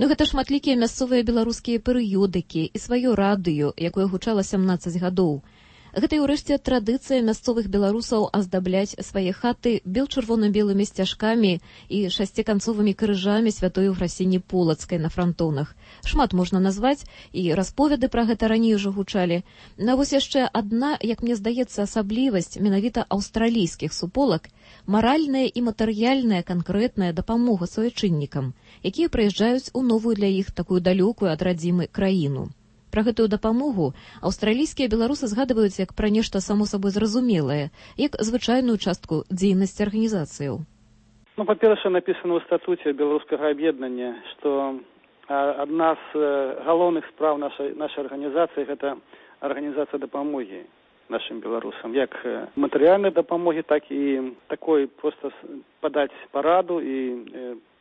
Ну гэта шматлікія мясцовыя беларускія перыёдыкі і сваё радыё, якое гучала сямнаццаць гадоў. Гэта і ўрэшце традыцыя мясцовых беларусаў аздабляць свае хаты бел-чырвона-белымі сцяжкамі і шасціканцовымі крыжамі святой Ефрасіні Полацкай на франтонах. Шмат можна назваць, і расповеды пра гэта раней ужо гучалі. На вось яшчэ адна, як мне здаецца, асаблівасць менавіта аўстралійскіх суполак — маральная і матэрыяльная канкрэтная дапамога суайчыннікам, якія прыязджаюць у новую для іх такую далёкую ад радзімы краіну. Пра гэтую дапамогу аўстралійскія беларусы згадваюць як пра нешта само сабой зразумелае, як звычайную частку дзейнасці арганізацыяў. Ну, па-першае, напісана ў статуце беларускага аб'яднання, што адна з галоўных спраў нашай, нашай арганізацыі – гэта арганізацыя дапамогі нашим беларусам. Як матэрыяльнай дапамогі, так і такой проста падаць параду і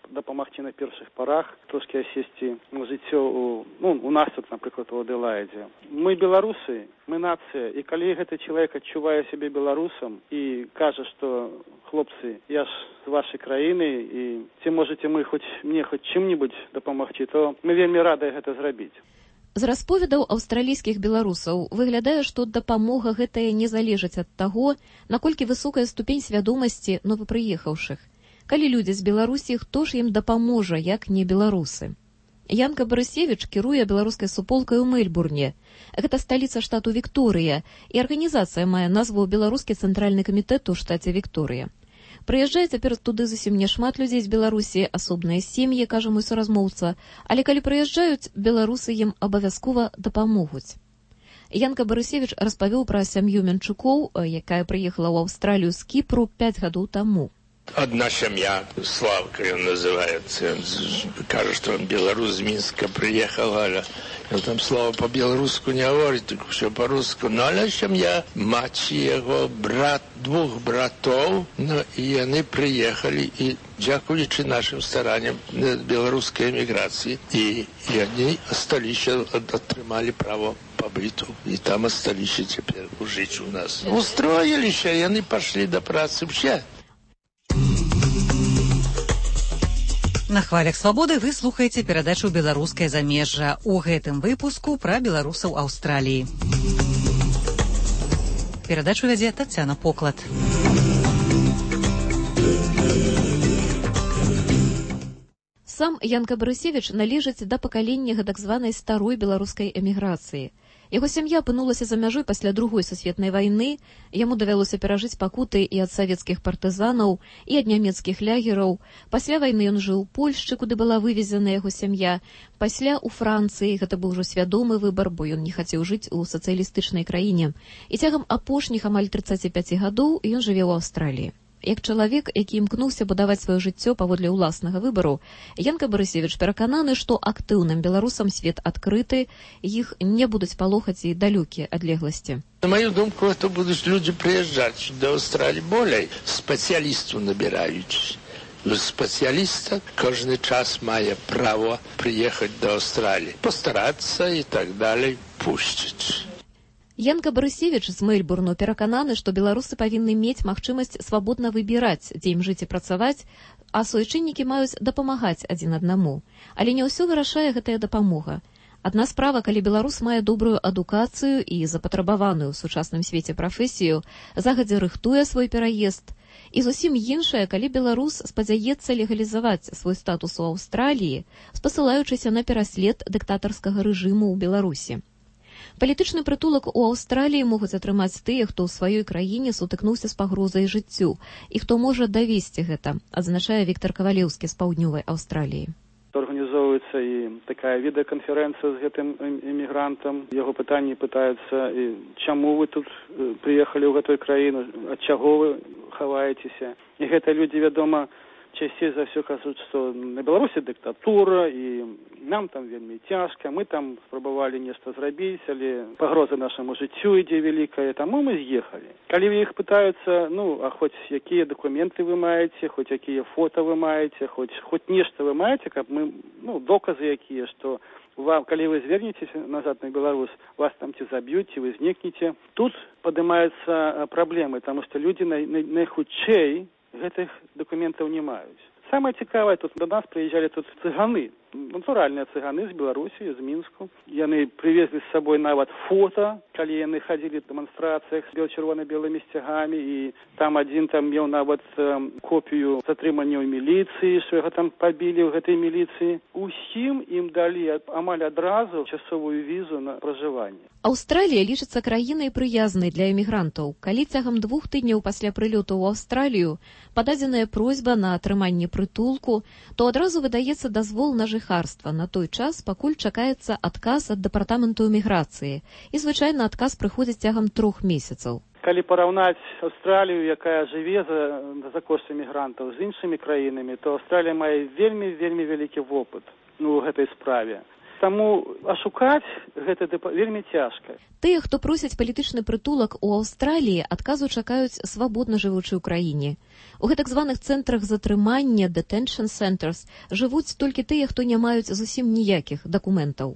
дапамагчы на першых парах, трошкі асесці жыццё у, ну, у нас тут, напрыклад, у Адэlaide. Мы беларусы, мы нацыя, і калі гэты чалавек адчувае сябе беларусам і кажа, што хлопцы, я ж з вашай краіны, і ці можаце мы хоць мне хоць чым-небудзь дапамагчы, то мы вельмі радыя гэта зрабіць. З расповедаў аўстралійскіх беларусаў выглядае, што дапамога гэтая не залежыць ад таго, наколькі высокая ступень свядомасці новапрыехаўшых. Калі людзі з Беларусі, хто ж ім дапаможа, як не беларусы? Янка Барысевіч кіруе беларускай суполкай у Мельбурне. Гэта сталіца штату Вікторыя, і арганізацыя мае назву Беларускі цэнтральны камітэт у штаце Вікторыя. Прыязджае цяпер туды зусім не шмат людзей з Беларусі, асобныя сем'і, кажа мой суразмоўца, але калі прыязджаюць, беларусы ім абавязкова дапамогуць. Янка Барысевіч распавёў пра сям'ю Менчукоў, якая прыехала ў Аўстралію з Кіпру пяць гадоў таму. Одна семья, Славка он называется, он кажет, что он белорус из Минска приехал, а он там слово по-белорусски не говорит, только все по-русски. Но она семья, мать его, брат, двух братов, ну, и они приехали, и дякуючи нашим стараниям белорусской эмиграции, и, и они остались, отримали право побыту, и там остались теперь жить у нас. Устроились, и они пошли до працы все. На хвалях свабоды вы слухаеце перадачу «Беларускае замежжа». У гэтым выпуску пра беларусаў Аўстраліі. Перадачу вядзе Тацяна Поклад. Сам Янка Барысевіч належыць да пакалення гэтак званай старой беларускай эміграцыі. Яго сям'я апынулася за мяжой пасля другой сусветнай вайны, яму давялося перажыць пакуты і ад савецкіх партызанаў, і ад нямецкіх лягераў. Пасля вайны ён жыў у Польшчы, куды была вывезена яго сям'я. Пасля ў Францыі, гэта быў ужо свядомы выбар, бо ён не хацеў жыць у сацыялістычнай краіне. І цягам апошніх амаль трыццаці пяці гадоў ён жыве ў Аўстраліі. Як чалавек, які імкнуўся будаваць сваё жыццё паводле ўласнага выбару, Янка Барысевіч перакананы, што актыўным беларусам свет адкрыты, іх не будуць палохаць і далёкія адлегласці. На мою думку, это будут люди приезжать до Австралии более специалистов набирают. Специалиста каждый час має право приехать до Австралии, постараться и так далее, пустить. Янка Барысевіч з Мельбурну перакананы, што беларусы павінны мець магчымасць свабодна выбіраць, дзе ім жыць і працаваць, а суайчыннікі маюць дапамагаць адзін аднаму. Але не ўсё вырашае гэтая дапамога. Адна справа, калі беларус мае добрую адукацыю і запатрабаваную ў сучасным свеце прафесію, загадзя рыхтуе свой пераезд, і зусім іншая, калі беларус спадзяецца легалізаваць свой статус у Аўстраліі, спасылаючыся на пераслед дыктатарскага рэжыму ў Беларусі. Палітычны прытулак у Аўстраліі могуць атрымаць тыя, хто ў сваёй краіне сутыкнуўся з пагрозай жыццю, і хто можа давесці гэта, адзначае Віктар Кавалеўскі з паўднёвай Аўстраліі. Арганізоўваецца і такая відэаканферэнцыя з гэтым эмігрантам. Яго пытанні пытаюцца, чаму вы тут прыехалі ў гэтую краіну, ад чаго вы хаваецеся. І гэта людзі, вядома, часцей за ўсё кажуць, што на Беларусі дыктатура, і нам там вельмі цяжка, мы там спрабавалі нешта зрабіць, але пагроза нашаму жыццю ідзе вялікая, таму мы з'ехалі. Калі іх пытаюцца, ну, а хоць якія дакументы вы маеце, хоць якія фота вы маеце, хоць, хоць нешта вы маеце, каб мы, ну, доказы якія, што вам, калі вы звернецеся назад на Беларусь, вас там ці заб'юць, ці вы знікнеце. Тут падымаюцца праблемы, таму што людзі най, най, найхутчэй гэтых дакументаў не маюць. Самае цікавае, тут до нас прыязджалі тут цыганы. натуральныя цыганы з Беларусі, з Мінску. Яны привезли з сабой нават фото, калі яны хадзілі в дэманстрацыях з чырвона-белымі сцягамі, і там адзін там меў нават э, копію затрымання ў міліцыі, што яго там пабілі ў гэтай міліцыі. Усім ім далі амаль адразу часовую візу на пражыванне. Аўстралія лічыцца краінай прыязнай для эмігрантаў. Калі цягам двух тыдняў пасля прылёту ў Аўстралію пададзеная просьба на атрыманне прытулку, то адразу выдаецца дазвол на жыхарства на той час, пакуль чакаецца адказ ад дэпартаменту эміграцыі. І, звычайна, адказ прыходзіць цягам трох месяцаў. Калі параўнаць Аўстралію, якая жыве за, за кошт эмігрантаў, з іншымі краінамі, то Аўстралія мае вельмі-вельмі вялікі вопыт ну, у гэтай справе. Таму ашукаць гэта вельмі цяжка. Тыя, хто просяць палітычны прытулак у Аўстраліі, адказу чакаюць свабодна жывучы ў краіне. У гэтак званых цэнтрах затрымання, detention centers, жывуць толькі тыя, хто не маюць зусім ніякіх дакументаў.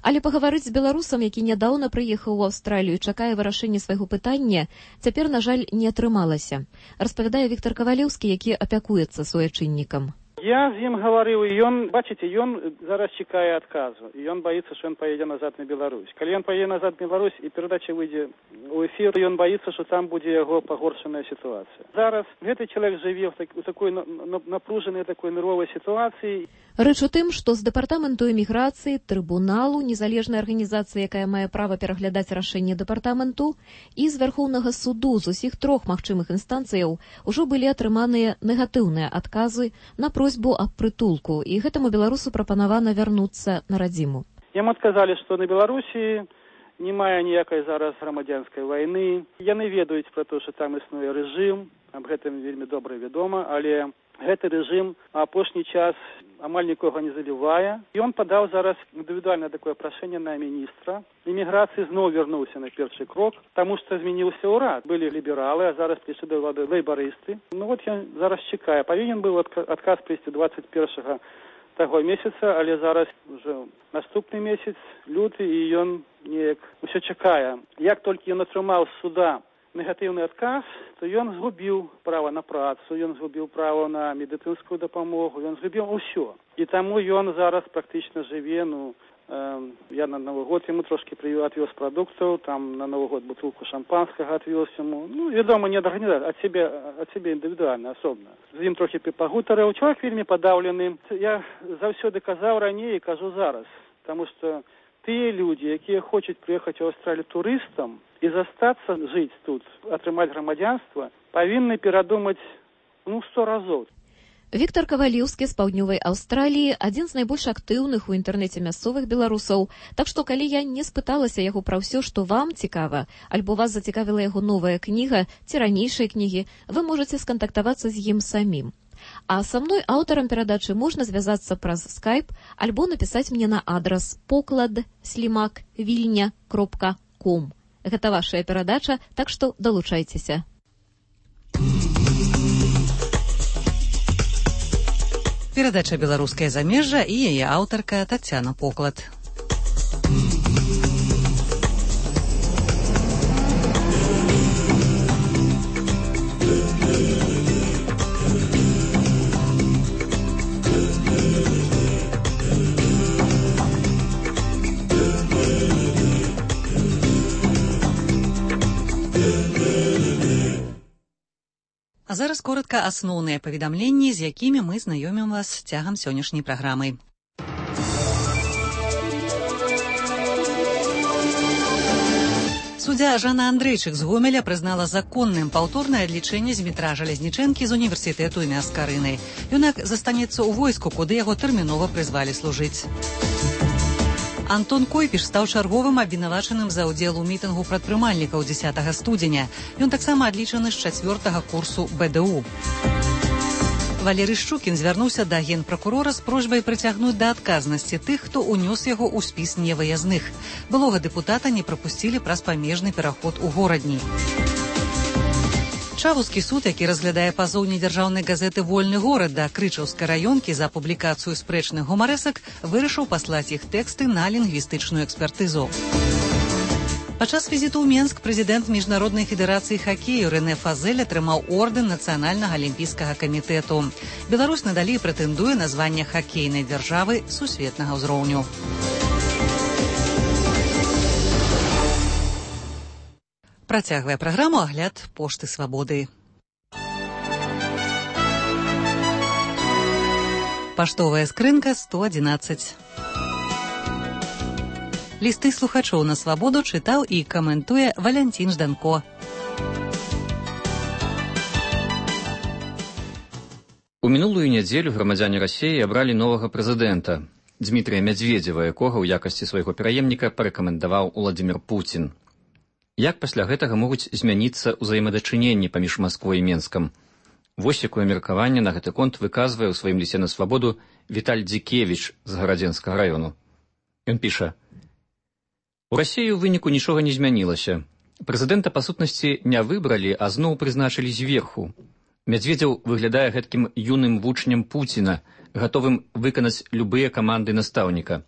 Але пагаварыць з беларусам, які нядаўна прыехаў у Аўстралію, чакае вырашэння свайго пытання, цяпер, на жаль, не атрымалася. Распавядае Віктор Кавалеўскі, які апякуецца суайчыннікам. Я з ім гаварыў, і ён, бачыце, ён зараз чакае адказу, і ён баіцца, што ён паедзе назад на Беларусь. Калі ён паедзе назад на Беларусь і перадача выйдзе ў эфір, ён баіцца, што там будзе яго пагоршаная сітуацыя. Зараз гэты чалавек жыве ў, так, у такой напружанай, такой нервовай сітуацыі. Рэч у тым, што з дэпартаменту эміграцыі, трыбуналу, незалежнай арганізацыі, якая мае права пераглядаць рашэнне дэпартаменту, і з Вярхоўнага суду з усіх трох магчымых інстанцыяў ужо былі атрыманыя негатыўныя адказы на просьбу аб прытулку, і гэтаму беларусу прапанавана вярнуцца на радзіму. Яму адказалі, што на Беларусі не мае ніякай зараз грамадзянскай вайны. Яны ведаюць пра то, што там існуе рэжым, аб гэтым вельмі добра вядома, але гэты рэжым апошні час амаль нікога не залівае. Ён падаў зараз індывідуальнае такое прашэнне на міністра. Іміграцыі зноў вярнуўся на першы крок, таму што змяніўся ўрад. Былі лібералы, а зараз прыйшлі да ўлады лейбарысты. Ну вот ён зараз чакае. Павінен быў адказ прыйсці дваццаць першага таго месяца, але зараз уже наступны месяц, люты, і ён неяк усё чакае. Як толькі ён атрымаў з суда негатыўны адказ, то ён згубіў права на працу, ён згубіў права на медыцынскую дапамогу, ён згубіў усё. І таму ён зараз практычна жыве, ну, э, я на Новы год яму трошки отвез прадуктаў, там на Новы год бутылку шампанскага отвез яму. Ну, вядома, не ад арганізацыі, ад себе, ад себе індывідуальна, асобна. З ім трохі пагутарыў. Чалавек вельмі падаўлены. Я заўсёды казаў раней і кажу зараз, таму што тыя людзі, якія хочуць прыехаць у Аўстралію турыстам і застацца жыць тут, атрымаць грамадзянства, павінны перадумаць, ну, сто разоў. Віктор Кавалеўскі з паўднёвай Аўстраліі, адзін з найбольш актыўных у інтэрнэце мясцовых беларусаў. Так што, калі я не спыталася яго пра ўсё, што вам цікава, альбо вас зацікавіла яго новая кніга ці ранейшыя кнігі, вы можаце скантактавацца з ім самім. А са мной, аўтарам перадачы, можна звязацца праз скайп альбо напісаць мне на адрас поклад слімак вільня кропка ком. Гэта вашая перадача, так што далучайцеся. Перадача «Беларускае замежжа» і яе аўтарка Тацяна Поклад. А зараз коротка асноўныя паведамленні, з якімі мы знаёмім вас цягам сённяшняй праграмы. Суддзя Жанна Андрейчык з Гомеля прызнала законным паўторнае адлічэнне Змітра Жалезнічэнкі з універсітэту імя Скарыны. Юнак застанецца ў войску, куды яго тэрмінова прызвалі служыць. Антон Койпіш стаў чарговым абвінавачаным за ўдзел у мітынгу прадпрымальнікаў дзесятага студзеня. Ён таксама адлічаны з чацвёртага курсу бэ дэ у. Валерый Шчукін звярнуўся да генпракурора з просьбай прыцягнуць да адказнасці тых, хто ўнёс яго ў спіс невыязных. Былога дэпутата не прапусцілі праз памежны пераход у горадні. Чавускі суд, які разглядае пазоў недзяржаўнай газеты «Вольны горад» да Крычаўскай раёнкі за публікацыю спрэчных гумарэсак, вырашыў паслаць іх тэксты на лінгвістычную экспертызу. Падчас візіту ў Менск прэзідэнт міжнароднай федэрацыі хакею Рэнэ Фазель атрымаў ордэн нацыянальнага алімпійскага камітэту. Беларусь надалей прэтэндуе на званне хакейнай дзяржавы сусветнага ўзроўню. Працягвае праграму агляд пошты свабоды. Паштовая скрынка сто адзінаццаць. Лісты слухачоў на свабоду чытаў і каментуе Валянцін Жданко. У мінулую нядзелю грамадзяне Расіі абралі новага прэзідэнта Дмітрія Мядзведзева, якога ў якасці свайго пераемніка парэкамендаваў Уладзімір Пуцін. Як пасля гэтага могуць змяніцца ўзаемадачыненні паміж Масквой і Менскам? Вось якое меркаванне на гэты конт выказвае ў сваім лісце на свабоду Віталь Дзікевіч з Гарадзенскага раёну. Ён піша: у Расіі ў выніку нічога не змянілася. Прэзідэнта, па сутнасці, не выбралі, а зноў прызначылі зверху. Мядзведзеў выглядае гэткім юным вучнем Пуціна, гатовым выканаць любыя каманды настаўніка.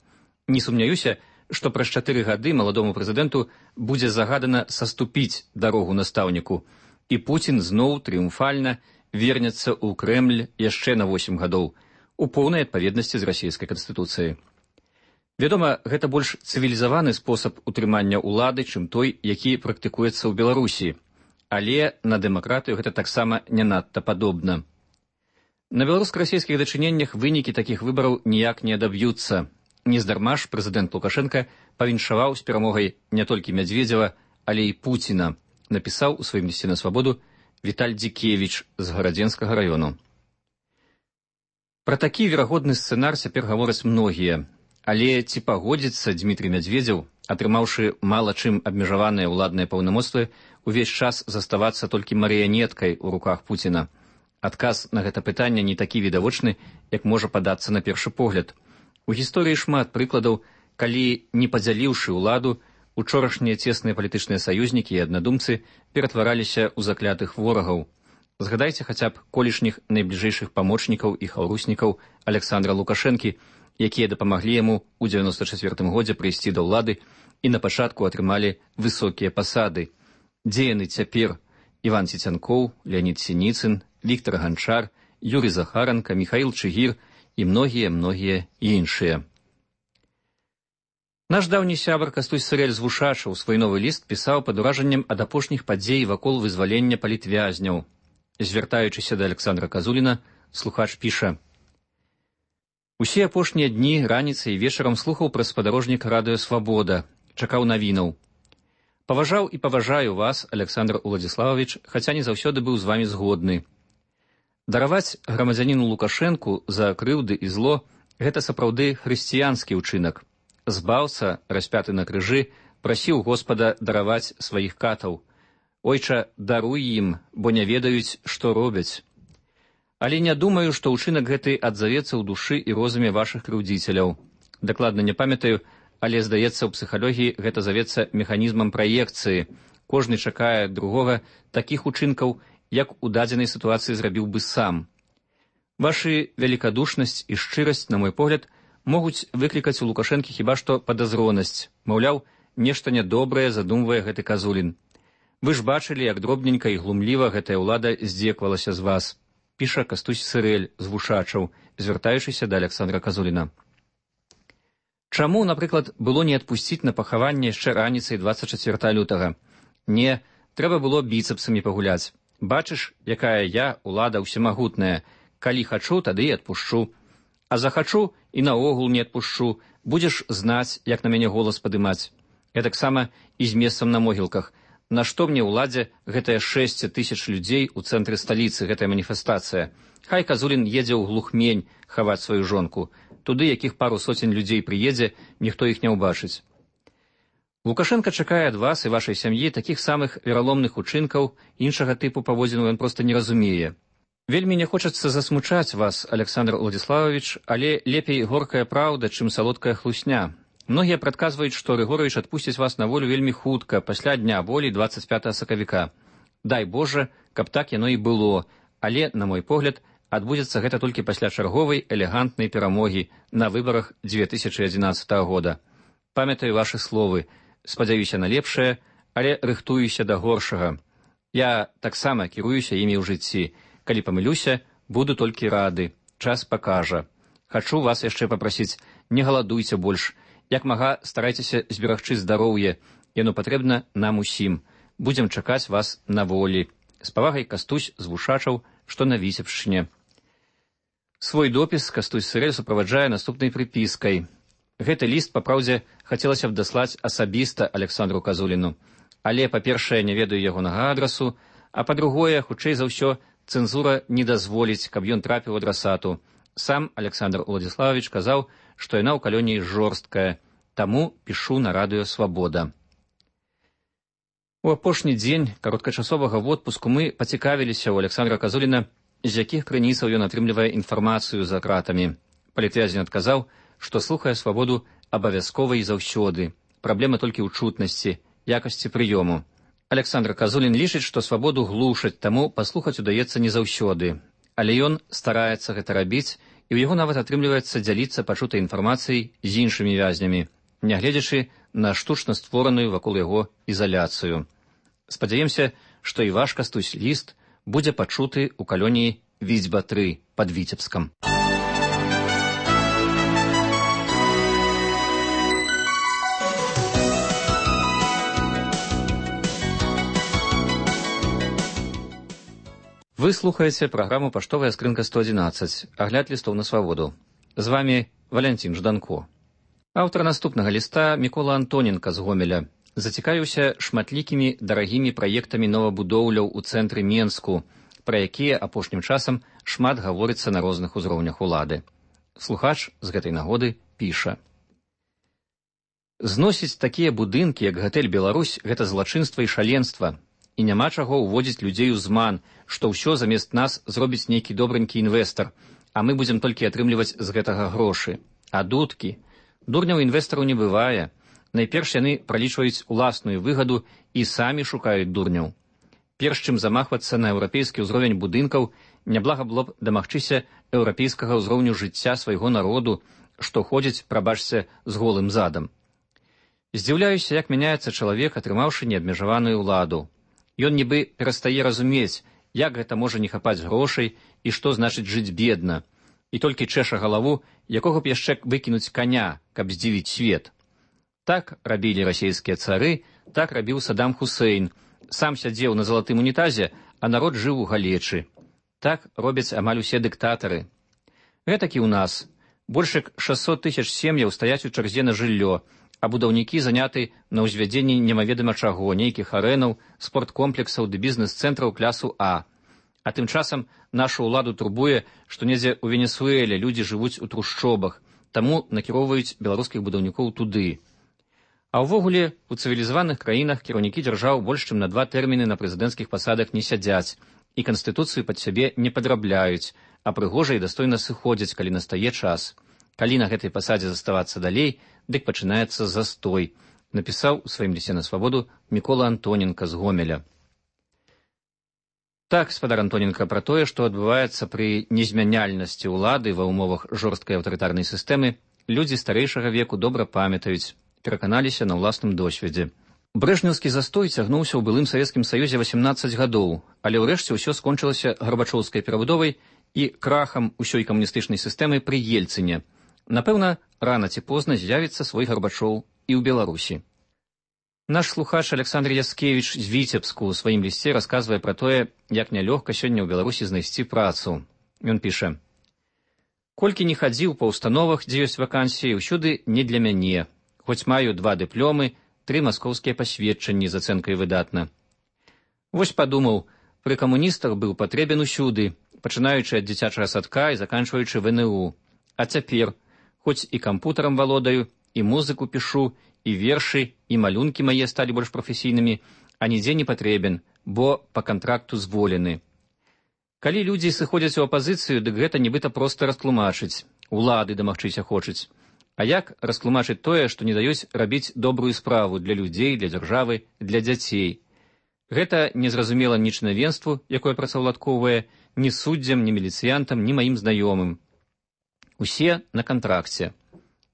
Не сумняюся, што праз чатыры гады маладому прэзідэнту будзе загадана саступіць дарогу настаўніку, і Пуцін зноў трыумфальна вернецца ў Крэмль яшчэ на восем гадоў, у поўнай адпаведнасці з расійскай канстытуцыяй. Вядома, гэта больш цывілізаваны спосаб утрымання ўлады, чым той, які практыкуецца ў Беларусі, але на дэмакратыю гэта таксама не надта падобна. На беларуска-расійскіх дачыненнях вынікі такіх выбараў ніяк не адаб'юцца. Нездарма ж прэзідэнт Лукашенка павіншаваў з перамогай не толькі Мядзведзева, але і Пуціна, напісаў у сваім лісце на свабоду Віталь Дзікевіч з Гарадзенскага раёну. Пра такі верагодны сцэнар цяпер гавораць многія. Але ці пагодзіцца Дмітрий Мядзведзеў, атрымаўшы мала чым абмежаваныя ўладныя паўнамоцтвы, увесь час заставацца толькі марыянеткай у руках Пуціна? Адказ на гэта пытанне не такі відавочны, як можа падацца на першы погляд. У гісторыі шмат прыкладаў, калі, не падзяліўшы ўладу, учорашнія цесныя палітычныя саюзнікі і аднадумцы ператвараліся ў заклятых ворагаў. Згадайце хаця б колішніх найбліжэйшых памочнікаў і хаўруснікаў Александра Лукашэнкі, якія дапамаглі яму ў дзевяноста чацвёртым годзе прыйсці да ўлады і на пачатку атрымалі высокія пасады. Дзе яны цяпер? Іван Цецянкоў, Леонід Сініцын, Віктор Ганчар, Юрый Захаранка, Міхаіл Чыгір і многія-многія іншыя. Наш даўні сябар Кастусь Сырэль з Вушачаў свой новы ліст пісаў пад уражаннем ад апошніх падзей вакол вызвалення палітвязняў. Звяртаючыся да Александра Казуліна, слухач піша: усе апошнія дні, раніцай і вечарам слухаў пра спадарожнік радыё «Свабода», чакаў навінаў. Паважаў і паважаю вас, Александр Уладзіславович, хаця не заўсёды быў з вамі згодны. Дараваць грамадзяніну Лукашэнку за крыўды і зло – гэта сапраўды хрысціянскі ўчынак. Збаўца, распяты на крыжы, прасіў Господа дараваць сваіх катаў. Ойча, даруй ім, бо не ведаюць, што робяць. Але не думаю, што ўчынак гэты адзавецца ў душы і розуме вашых крыўдзіцеляў. Дакладна не памятаю, але, здаецца, у псіхалогіі гэта завецца механізмам праекцыі. Кожны чакае другога такіх учынкаў, як у дадзенай сітуацыі зрабіў бы сам. Вашы великадушнасць і шчырасць, на мой погляд, могуць выклікаць у Лукашэнкі хіба што падазронасць. Маўляў, нешта нядобрае задумвае гэты Казулін. Вы ж бачылі, як дробненька і глумліва гэтая ўлада здзеквалася з вас. Піша Кастусь Сырэль з Вушачаў, звяртаючыся да Александра Казуліна. Чаму, напрыклад, было не адпусціць на пахаванне яшчэ раніцай дваццаць чацвёртага лютага? Не, трэба было біцэпсамі пагуляць. Бачыш, якая я, улада ўсемагутная. Калі хачу, тады і адпушчу. А захачу і наогул не адпушчу. Будзеш знаць, як на мяне голас падымаць. Гэтаксама і з месцам на могілках. Нашто мне ўладзе гэтыя шэсць тысяч людзей у цэнтры сталіцы, гэтая маніфестацыя? Хай Казулін едзе ў глухмень хаваць сваю жонку. Туды, якіх пару соцень людзей прыедзе, ніхто іх не ўбачыць. Лукашенка чакае ад вас і вашай сям'і такіх самых вераломных учынкаў, іншага тыпу паводзіну ён проста не разумее. Вельмі не хочацца засмучаць вас, Александр Уладзіславович, але лепей горкая праўда, чым салодкая хлусня. Многія прадказваюць, што Рыгорович адпусціць вас на волю вельмі хутка, пасля дня волі дваццаць пятага сакавіка. Дай Божа, каб так яно і было, але, на мой погляд, адбудзецца гэта толькі пасля чарговай элегантнай перамогі на выбарах дзве тысячы адзінаццатага года. Памятаю вашы словы. Спадзяюся на лепшае, але рыхтуюся да горшага. Я таксама кіруюся імі ў жыцці. Калі памылюся, буду толькі рады. Час пакажа. Хачу вас яшчэ папрасіць, не галадуйце больш. Як мага, старайцеся зберагчы здароўе. Яно патрэбна нам усім. Будзем чакаць вас на волі. З павагай Кастусь з Вушачаў, што на Віцебшчыне. Свой допіс Кастусь Сырэль суправаджае наступнай прыпіскай. Гэты ліст, папраўдзе, хацелася б даслаць асабіста Александру Казуліну. Але, па-першае, не ведаю ягонага адрасу, а па-другое, хутчэй за ўсё, цэнзура не дазволіць, каб ён трапіў адрасату. Сам Александр Уладзіславович казаў, што яна ў калоніі жорсткая, таму пішу на радыё «Свабода». У апошні дзень кароткачасовага водпуску мы пацікавіліся ў Александра Казуліна, з якіх крыніцаў ён атрымлівае інфармацыю за кратамі. Палітвязень адказаў, што слухае «Свабоду» абавязкова і заўсёды. Праблема толькі ў чутнасці, якасці прыёму. Александр Казулін лічыць, што «Свабоду» глушаць, таму паслухаць удаецца не заўсёды. Але ён стараецца гэта рабіць, і ў яго нават атрымліваецца дзяліцца пачутай інфармацыяй з іншымі вязнямі, нягледзячы на штучна створаную вакол яго ізаляцыю. Спадзяемся, што і ваш Кастусь ліст будзе пачуты ў калоніі Віцьба тры пад Віцебскам. Вы слухаеце праграму «Паштовая скрынка сто адзінаццаць», агляд лістоў на свабоду. З вамі Валянцін Жданко. Аўтар наступнага ліста Мікола Антоненка з Гомеля зацікавіўся шматлікімі дарагімі праектамі новабудоўляў у цэнтры Менску, пра якія апошнім часам шмат гаворыцца на розных узроўнях улады. Слухач з гэтай нагоды піша. Зносіць такія будынкі, як гатэль «Беларусь», гэта злачынства і шаленства. І няма чаго ўводзіць людзей у зман, што ўсё замест нас зробіць нейкі добренькі інвестар, а мы будзем толькі атрымліваць з гэтага грошы. А дудкі? Дурняў інвестараў не бывае. Найперш яны пралічваюць уласную выгаду і самі шукаюць дурняў. Перш чым замахвацца на еўрапейскі ўзровень будынкаў, няблага было б дамагчыся еўрапейскага ўзроўню жыцця свайго народу, што ходзіць, прабачце, з голым задам. Здзіўляюся, як мяняецца чалавек, атрымаўшы неабмежаваную ўладу. Ён нібы перастае разумець, як гэта можа не хапаць грошай і што значыць жыць бедна, і толькі чэша галаву, якога б яшчэ выкінуць каня, каб здзівіць свет. Так рабілі расійскія цары, так рабіў Саддам Хусейн. Сам сядзеў на залатым унітазе, а народ жыў у галечы. Так робяць амаль усе дыктатары. Гэтак і ў нас. Больш як шэсцьсот тысяч сем'яў стаяць у чарзе на жыллё, а будаўнікі заняты на ўзвядзенні немаведама чаго, нейкіх арэнаў, спорткомплексаў ды бізнес-цэнтраў клясу А. А тым часам нашу ўладу турбуе, што недзе ў Венесуэле людзі жывуць у трушчобах, таму накіроўваюць беларускіх будаўнікоў туды. А ўвогуле, у цывілізаваных краінах кіраўнікі дзяржаў больш чым на два тэрміны на прэзідэнцкіх пасадах не сядзяць і канстытуцыю пад сябе не падрабляюць, а прыгожа і дастойна сыходзяць, калі настае час. Калі на гэтай пасадзе заставацца далей, дык пачынаецца застой, напісаў у сваім лісце на свабоду Мікола Антоненка з Гомеля. Так, спадар Антоненка, пра тое, што адбываецца пры незмяняльнасці ўлады ва ўмовах жорсткай аўтарытарнай сістэмы, людзі старэйшага веку добра памятаюць, пераканаліся на ўласным досведзе. Брэжнеўскі застой цягнуўся ў былым Савецкім Саюзе васемнаццаць гадоў, але ўрэшце ўсё скончылася гарбачоўскай перабудовай і крахам усёй камуністычнай сістэмы пры Ельцыне. Напэўна, рана ці позна з'явіцца свой Гарбачоў і ў Беларусі. Наш слухач Александр Яскевіч з Віцебску ў сваім лісце расказвае пра тое, як нялёгка сёння ў Беларусі знайсці працу. Ён піша. Колькі не хадзіў па ўстановах, дзе ёсць вакансіі, ўсюды не для мяне. Хоць маю два дыпломы, тры маскоўскія пасведчанні з ацэнкай выдатна. Вось падумаў, пры камуністах быў патрэбен усюды, пачынаючы ад дзіцячага садка і заканчваючы вэ эн у. А цяпер, хоць і кампутарам валодаю, і музыку пішу, і вершы, і малюнкі мае сталі больш прафесійнымі, а нідзе не патрэбен, бо па кантракту зволены. Калі людзі сыходзяць у апазіцыю, дык гэта нібыта проста растлумачыць, улады дамагчыся хочуць. А як растлумачыць тое, што не даюць рабіць добрую справу для людзей, для дзяржавы, для дзяцей? Гэта незразумела ні чынавенству, якое працаўладкоўвае, ні суддзям, ні міліцыянтам, ні маім знаёмым. Усе на кантракце.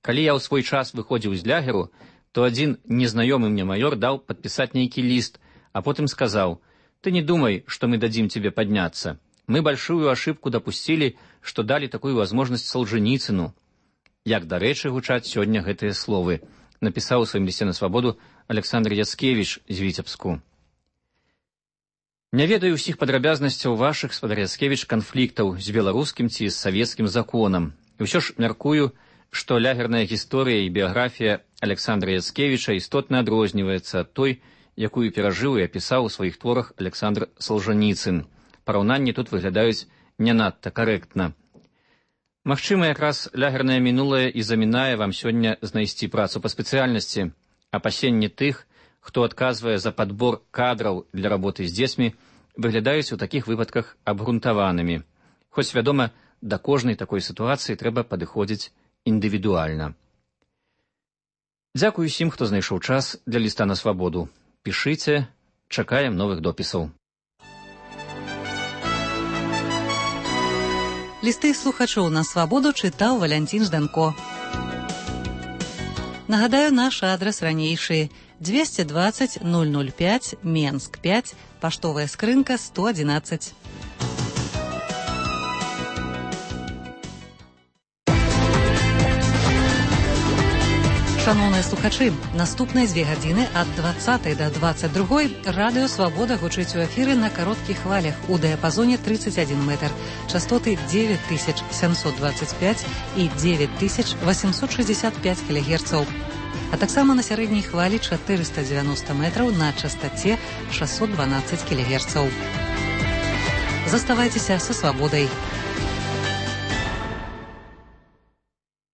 Калі я ў свой час выходзіў з лягеру, то один незнаёмы мне майор дал подписать некий лист, а потом сказал: «Ты не думай, что мы дадим тебе подняться. Мы большую ошибку допустили, что дали такую возможность Солженіцыну». Як дарэчы гучаць сёння гэтыя словы, напісаў у сваім лісце на свабоду Александр Яцкевіч з Віцебску. Не ведаю ўсіх падрабязнасцяў вашых, спадар Яцкевіч, канфліктаў з беларускім ці з савецкім законам. І ўсё ж мяркую, што лягерная гісторыя і біяграфія Александра Яцкевіча істотна адрозніваецца ад той, якую перажыў і апісаў у сваіх творах Александр Солженіцын. Параўнанні тут выглядаюць не надта карэктна. Магчыма, якраз лягернае мінулае і замінае вам сёння знайсці працу па спецыяльнасці. Апасенні тых, хто адказвае за падбор кадраў для работы з дзецьмі, выглядаюць у такіх выпадках абгрунтаванымі. Хоць, вядома, да кожнай такой сітуацыі трэба падыходзіць індывідуальна. Дзякую усім, хто знайшоў час для ліста на свабоду. Пішыце, чакаем новых допісаў. Лісты слухачоў на свабоду чытаў Валянцін Жданко. Нагадаю, наш адрас ранейшы: двести двадцать ноль ноль пять, Менск пять, паштовая скрынка сто одиннадцать. Шановныя слухачы, наступныя дзве гадзіны ад двадцатай да двадцать другой радыё «Свабода» гучыць у эфіры на кароткіх хвалях у дыяпазоне тридцать один метр, частоты девять тысяч семьсот двадцать пять і девять тысяч восемьсот шестьдесят пять кілогерцаў, а таксама на сярэдняй хвалі четыреста девяносто метраў на частоце шестьсот двенадцать кілогерцаў. Заставайцеся са «Свабодай».